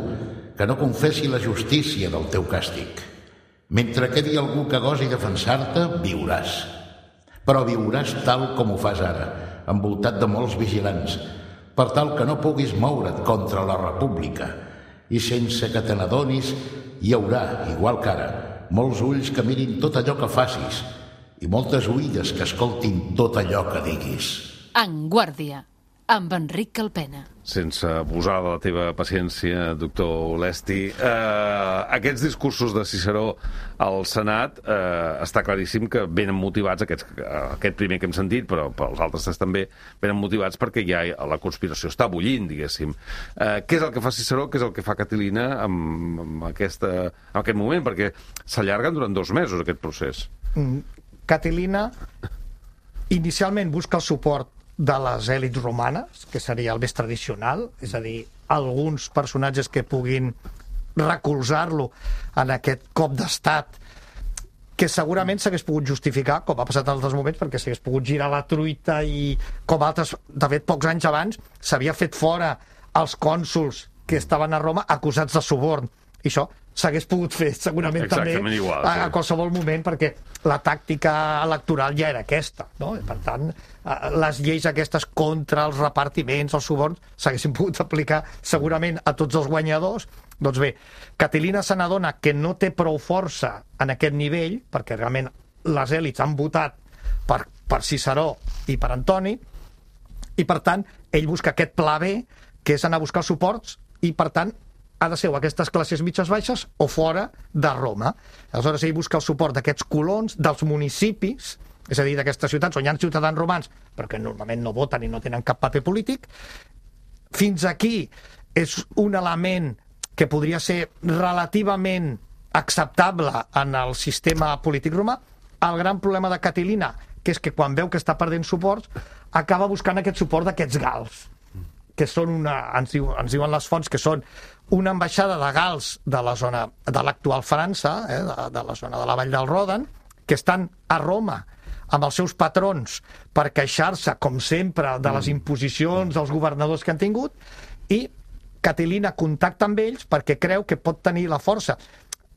que no confessi la justícia del teu càstig. Mentre quedi algú que gosi defensar-te, viuràs. Però viuràs tal com ho fas ara, envoltat de molts vigilants, per tal que no puguis moure't contra la república. I sense que te n'adonis, hi haurà, igual que ara, molts ulls que mirin tot allò que facis i moltes oïdes que escoltin tot allò que diguis. En Guàrdia, amb Enric Calpena. Sense abusar de la teva paciència, doctor Lesti, eh, aquests discursos de Ciceró al Senat eh, està claríssim que venen motivats, aquests, aquest primer que hem sentit, però, però els altres també venen motivats perquè ja la conspiració està bullint, diguéssim. Eh, què és el que fa Ciceró, què és el que fa Catilina en, en, aquesta, en aquest moment? Perquè s'allarguen durant dos mesos aquest procés. Mm, Catilina inicialment busca el suport de les èlits romanes, que seria el més tradicional, és a dir, alguns personatges que puguin recolzar-lo en aquest cop d'estat, que segurament s'hagués pogut justificar, com ha passat en altres moments, perquè s'hagués pogut girar la truita i, com altres, de fet, pocs anys abans, s'havia fet fora els cònsols que estaven a Roma acusats de suborn. I això s'hagués pogut fer segurament Exactament també igual, a, sí. a qualsevol moment, perquè la tàctica electoral ja era aquesta, no? Per tant, les lleis aquestes contra els repartiments, els suborns, s'haguessin pogut aplicar segurament a tots els guanyadors. Doncs bé, Catilina se n'adona que no té prou força en aquest nivell, perquè realment les èlits han votat per, per Ciceró i per Antoni, i per tant ell busca aquest pla B, que és anar a buscar els suports, i per tant ha de ser o aquestes classes mitges baixes o fora de Roma. Aleshores ell busca el suport d'aquests colons, dels municipis, és a dir, d'aquestes ciutats on hi ha ciutadans romans, però que normalment no voten i no tenen cap paper polític. Fins aquí és un element que podria ser relativament acceptable en el sistema polític romà. El gran problema de Catilina, que és que quan veu que està perdent suports, acaba buscant aquest suport d'aquests gals, que són una, ens, diu, ens diuen les fonts, que són una ambaixada de gals de la zona de l'actual França, eh, de, de la zona de la Vall del Rodan, que estan a Roma amb els seus patrons per queixar-se, com sempre, de les imposicions dels governadors que han tingut, i Catilina contacta amb ells perquè creu que pot tenir la força.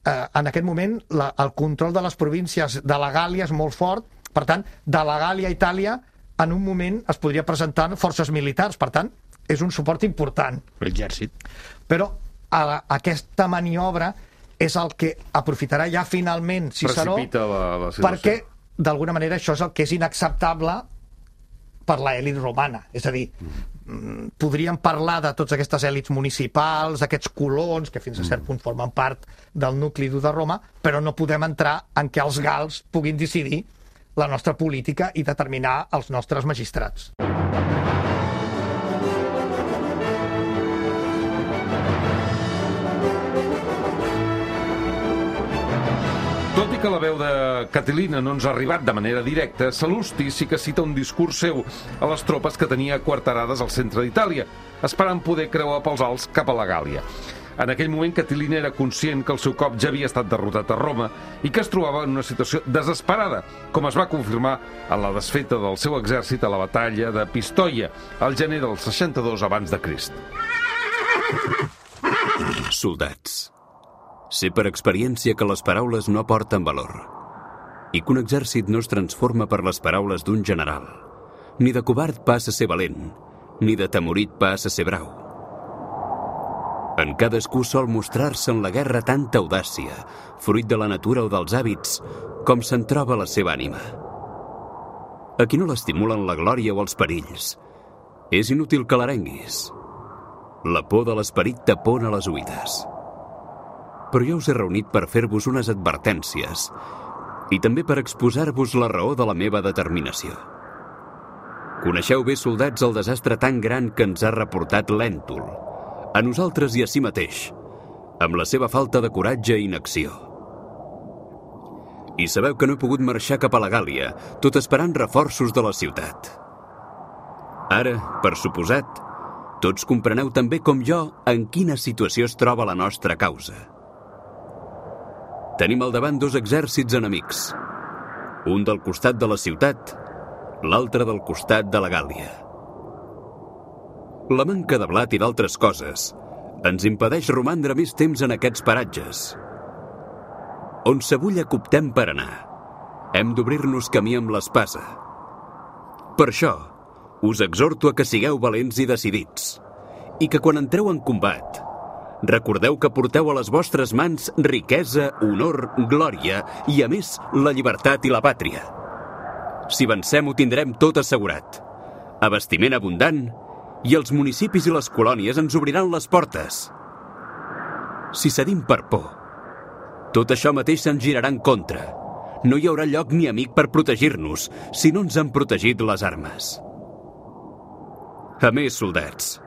Eh, en aquest moment, la, el control de les províncies de la Gàlia és molt fort, per tant, de la Gàlia a Itàlia, en un moment es podria presentar forces militars, per tant, és un suport important. L'exèrcit. Però a, aquesta maniobra és el que aprofitarà ja finalment Ciceró, Precipita la, la situació. perquè d'alguna manera això és el que és inacceptable per l'elit romana. És a dir, mm. podríem parlar de totes aquestes èlits municipals, aquests colons, que fins a cert punt formen part del nucli dur de Roma, però no podem entrar en què els gals puguin decidir la nostra política i determinar els nostres magistrats. Tot i que la veu de Catilina no ens ha arribat de manera directa, Sal·lusti sí que cita un discurs seu a les tropes que tenia quarterades al centre d'Itàlia, esperant poder creuar pels Alps cap a la Gàlia. En aquell moment, Catilina era conscient que el seu cop ja havia estat derrotat a Roma i que es trobava en una situació desesperada, com es va confirmar en la desfeta del seu exèrcit a la batalla de Pistoia, al gener del seixanta-dos abans de Crist. Soldats, sé per experiència que les paraules no aporten valor i que un exèrcit no es transforma per les paraules d'un general. Ni de covard passa a ser valent, ni de temorit passa a ser brau. En cadascú sol mostrar-se en la guerra tanta audàcia, fruit de la natura o dels hàbits, com se'n troba la seva ànima. A qui no l'estimulen la glòria o els perills, és inútil que l'arenguis. La por de l'esperit tapona les oïdes. Però jo us he reunit per fer-vos unes advertències i també per exposar-vos la raó de la meva determinació. Coneixeu bé, soldats, el desastre tan gran que ens ha reportat Lèntul, a nosaltres i a si mateix, amb la seva falta de coratge i inacció. I sabeu que no he pogut marxar cap a la Gàl·lia, tot esperant reforços de la ciutat. Ara, per suposat, tots compreneu també com jo en quina situació es troba la nostra causa. Tenim al davant dos exèrcits enemics, un del costat de la ciutat, l'altre del costat de la Gàl·lia. La manca de blat i d'altres coses ens impedeix romandre més temps en aquests paratges. On s'avulla coptem per anar, hem d'obrir-nos camí amb l'espasa. Per això, us exhorto a que sigueu valents i decidits, i que quan entreu en combat, recordeu que porteu a les vostres mans riquesa, honor, glòria i, a més, la llibertat i la pàtria. Si vencem, ho tindrem tot assegurat. Abastiment abundant i els municipis i les colònies ens obriran les portes. Si cedim per por, tot això mateix se'n girarà en contra. No hi haurà lloc ni amic per protegir-nos si no ens han protegit les armes. A més, soldats,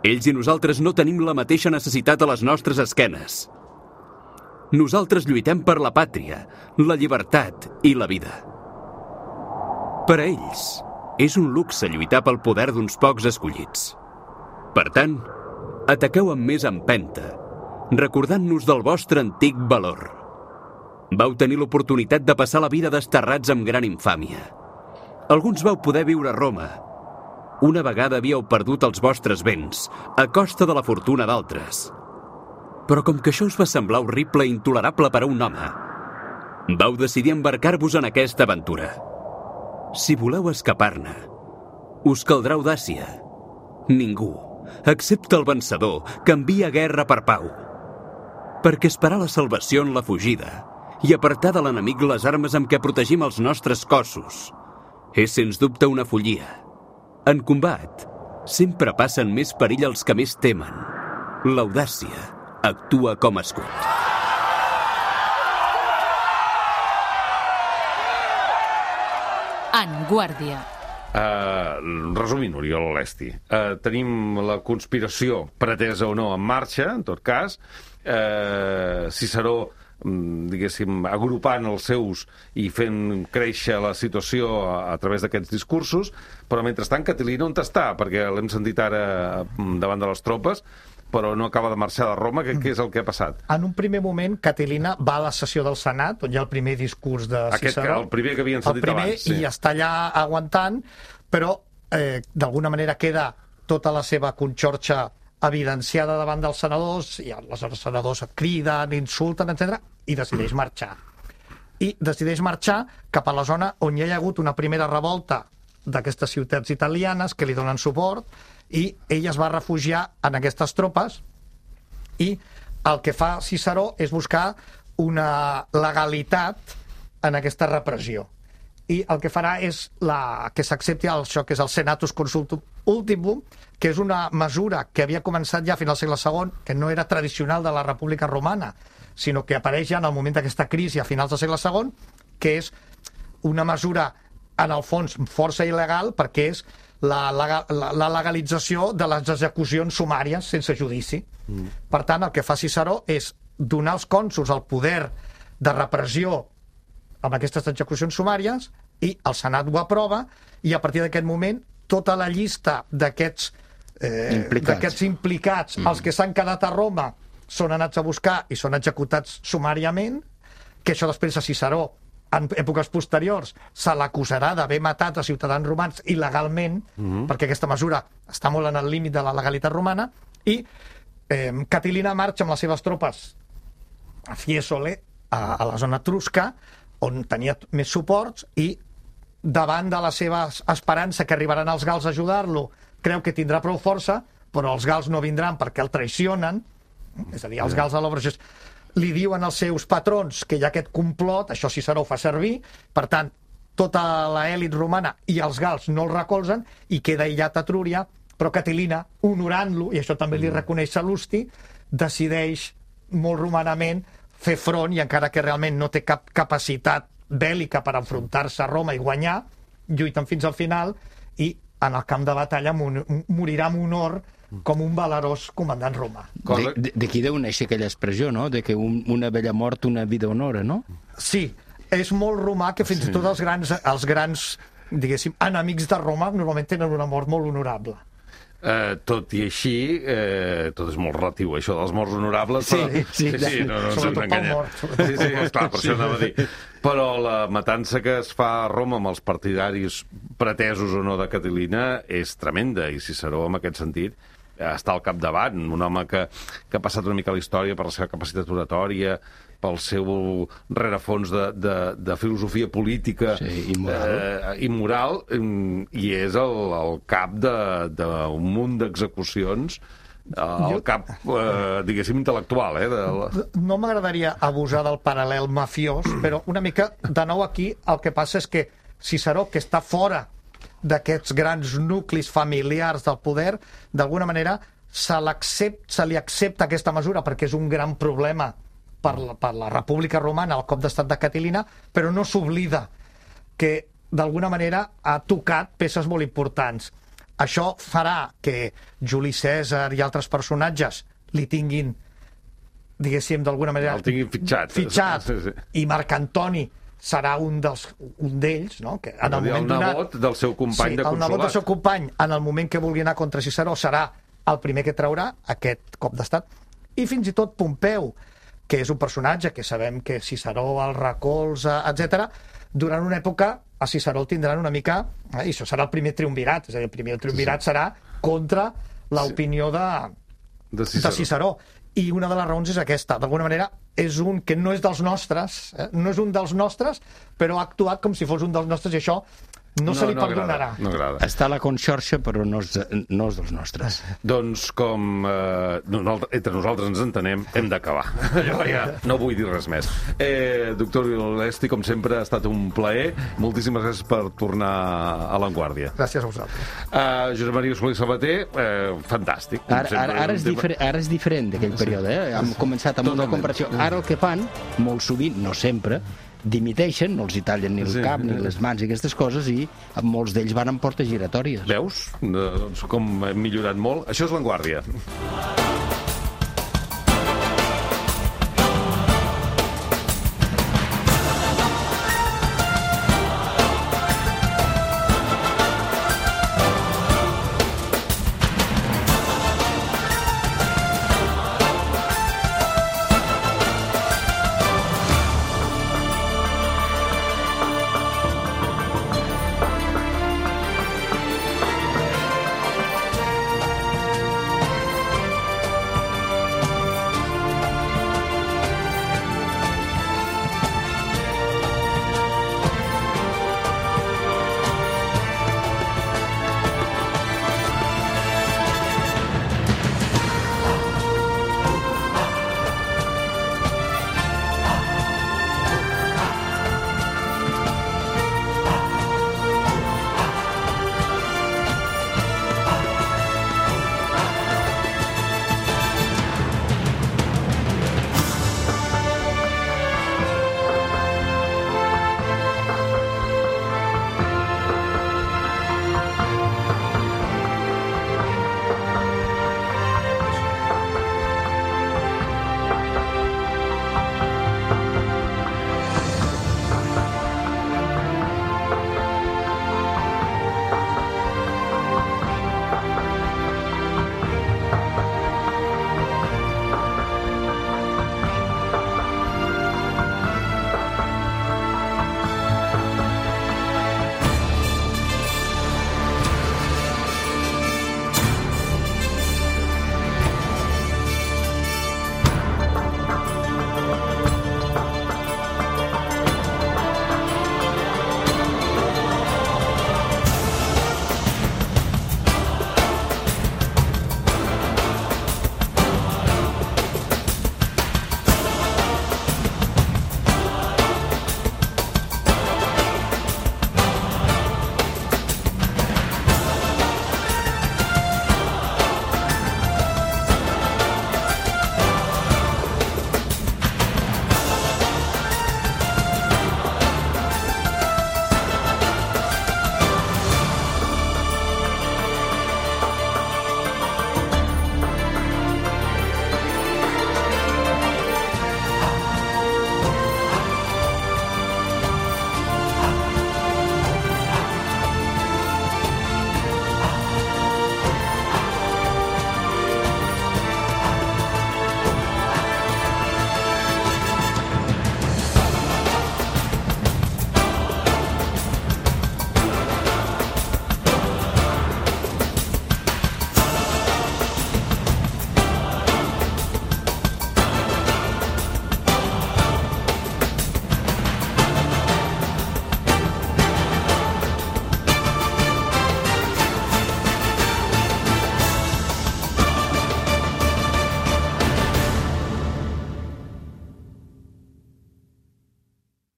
ells i nosaltres no tenim la mateixa necessitat a les nostres esquenes. Nosaltres lluitem per la pàtria, la llibertat i la vida. Per a ells, és un luxe lluitar pel poder d'uns pocs escollits. Per tant, ataqueu amb més empenta, recordant-nos del vostre antic valor. Vau tenir l'oportunitat de passar la vida desterrats amb gran infàmia. Alguns vau poder viure a Roma. Una vegada havíeu perdut els vostres béns, a costa de la fortuna d'altres. Però com que això us va semblar horrible i intolerable per a un home, vau decidir embarcar-vos en aquesta aventura. Si voleu escapar-ne, us caldrà audàcia. Ningú, excepte el vencedor, que envia guerra per pau. Perquè esperar la salvació en la fugida i apartar de l'enemic les armes amb què protegim els nostres cossos és, sens dubte, una follia. En combat, sempre passen més perill els que més temen. L'audàcia actua com a escut. En Guàrdia. Uh, resumint, Oriol Lesti, uh, tenim la conspiració, pretesa o no, en marxa, en tot cas. Uh, Ciceró, diguéssim, agrupant els seus i fent créixer la situació a, a través d'aquests discursos, però mentrestant Catilina on està? Perquè l'hem sentit ara davant de les tropes, però no acaba de marxar de Roma. Què, què és el que ha passat? En un primer moment, Catilina va a la sessió del Senat, on hi ha el primer discurs de Ciceró. Aquest, el primer que havien sentit el primer, abans. Sí. I està allà aguantant, però eh, d'alguna manera queda tota la seva conxorxa evidenciada davant dels senadors, i aleshores els senadors criden, insulten, etcètera, i decideix marxar. I decideix marxar cap a la zona on hi ha hagut una primera revolta d'aquestes ciutats italianes que li donen suport, i ell es va refugiar en aquestes tropes, i el que fa Ciceró és buscar una legalitat en aquesta repressió. I el que farà és la, que s'accepti això que és el Senatus Consultum Ultimum, que és una mesura que havia començat ja a final del segle segon, que no era tradicional de la República Romana, sinó que apareix ja en el moment d'aquesta crisi a finals del segle segon, que és una mesura, en el fons, força il·legal, perquè és la, la, la legalització de les execucions sumàries sense judici. Mm. Per tant, el que fa Ciceró és donar als cònsols el poder de repressió amb aquestes execucions sumàries, i el Senat ho aprova, i a partir d'aquest moment tota la llista d'aquests eh, implicats, implicats mm. els que s'han quedat a Roma són anats a buscar i són executats sumàriament, que això després a Ciceró, en èpoques posteriors, se l'acusarà d'haver matat a ciutadans romans il·legalment, mm-hmm. perquè aquesta mesura està molt en el límit de la legalitat romana, i eh, Catilina marxa amb les seves tropes a Fiesole, a, a la zona etrusca, on tenia més suports, i davant de la seva esperança que arribaran els gals a ajudar-lo, creu que tindrà prou força, però els gals no vindran perquè el traicionen, és a dir, els gals a l'Obre li diuen als seus patrons que hi ha aquest complot, això Ciceró ho fa servir, per tant, tota l'elit romana i els gals no el recolzen i queda aïllat a Trúria, però Catilina, honorant-lo, i això també li reconeix Sal·lusti, decideix molt romanament fer front, i encara que realment no té cap capacitat bèl·lica per enfrontar-se a Roma i guanyar, lluiten fins al final i en el camp de batalla morirà amb honor com un valerós comandant romà. D'aquí deu néixer aquella expressió, no?, de que un, una bella mort, una vida honora, no? Sí, és molt romà que fins i tot els grans, els grans, diguéssim, enemics de Roma normalment tenen una mort molt honorable. Eh, tot i així, eh, tot és molt relatiu, això dels morts honorables, sí, però... sí, sí, sí, no, no sobretot pel mort. Sí, sí, esclar, per això anava a dir. Però la matança que es fa a Roma amb els partidaris pretesos o no de Catilina és tremenda, i Ciceró, en aquest sentit, està al capdavant, un home que, que ha passat una mica a la història per la seva capacitat oratòria, pel seu rerefons de, de, de filosofia política, sí, i moral, eh, i, moral i és el, el cap d'un munt d'execucions, el jo... cap, eh, diguéssim, intel·lectual. Eh, de... No m'agradaria abusar del paral·lel mafiós, però una mica, de nou aquí, el que passa és que Ciceró, que està fora d'aquests grans nuclis familiars del poder, d'alguna manera se, se li accepta aquesta mesura perquè és un gran problema per la, per la República Romana, el cop d'estat de Catilina, però no s'oblida que d'alguna manera ha tocat peces molt importants. Això farà que Juli Cèsar i altres personatges li tinguin, diguéssim, d'alguna manera... El tinguin fitxat. Fitxat, sí, sí. I Marc Antoni serà un dels un d'ells, no? Que en el moment el nebot del seu company sí, de consolat. El nebot del seu company, en el moment que vulgui anar contra Ciceró, serà el primer que traurà aquest cop d'estat. I fins i tot Pompeu, que és un personatge que sabem que Ciceró el recolza, etcètera, durant una època a Ciceró el tindran una mica... Eh, I això serà el primer triumvirat, és a dir, el primer triumvirat serà contra l'opinió de, de, Ciceró. de Ciceró. I una de les raons és aquesta. D'alguna manera, és un que no és dels nostres, eh? no és un dels nostres, però ha actuat com si fos un dels nostres, i això no, no se li no perdonarà. Agrada, no agrada. Està a la conxorxa, però no és, de, no és dels nostres. Doncs com eh, nosaltres, entre nosaltres ens entenem, hem d'acabar. Jo ja no vull dir res més. Eh, doctor Vilolesti, com sempre, ha estat un plaer. Moltíssimes gràcies per tornar a l'Avantguàrdia. Gràcies a vosaltres. Uh, Josep Maria Solí Sabater, eh, fantàstic. Ara, ara, ara, és difer ara és diferent d'aquell període. Eh? Hem començat amb una comparació. Ara el que fan, molt sovint, no sempre, dimiteixen, no els hi tallen ni el sí, cap ni les mans i aquestes coses, i molts d'ells van amb portes giratòries. Veus? Doncs com hem millorat molt. Això és l'Avantguàrdia.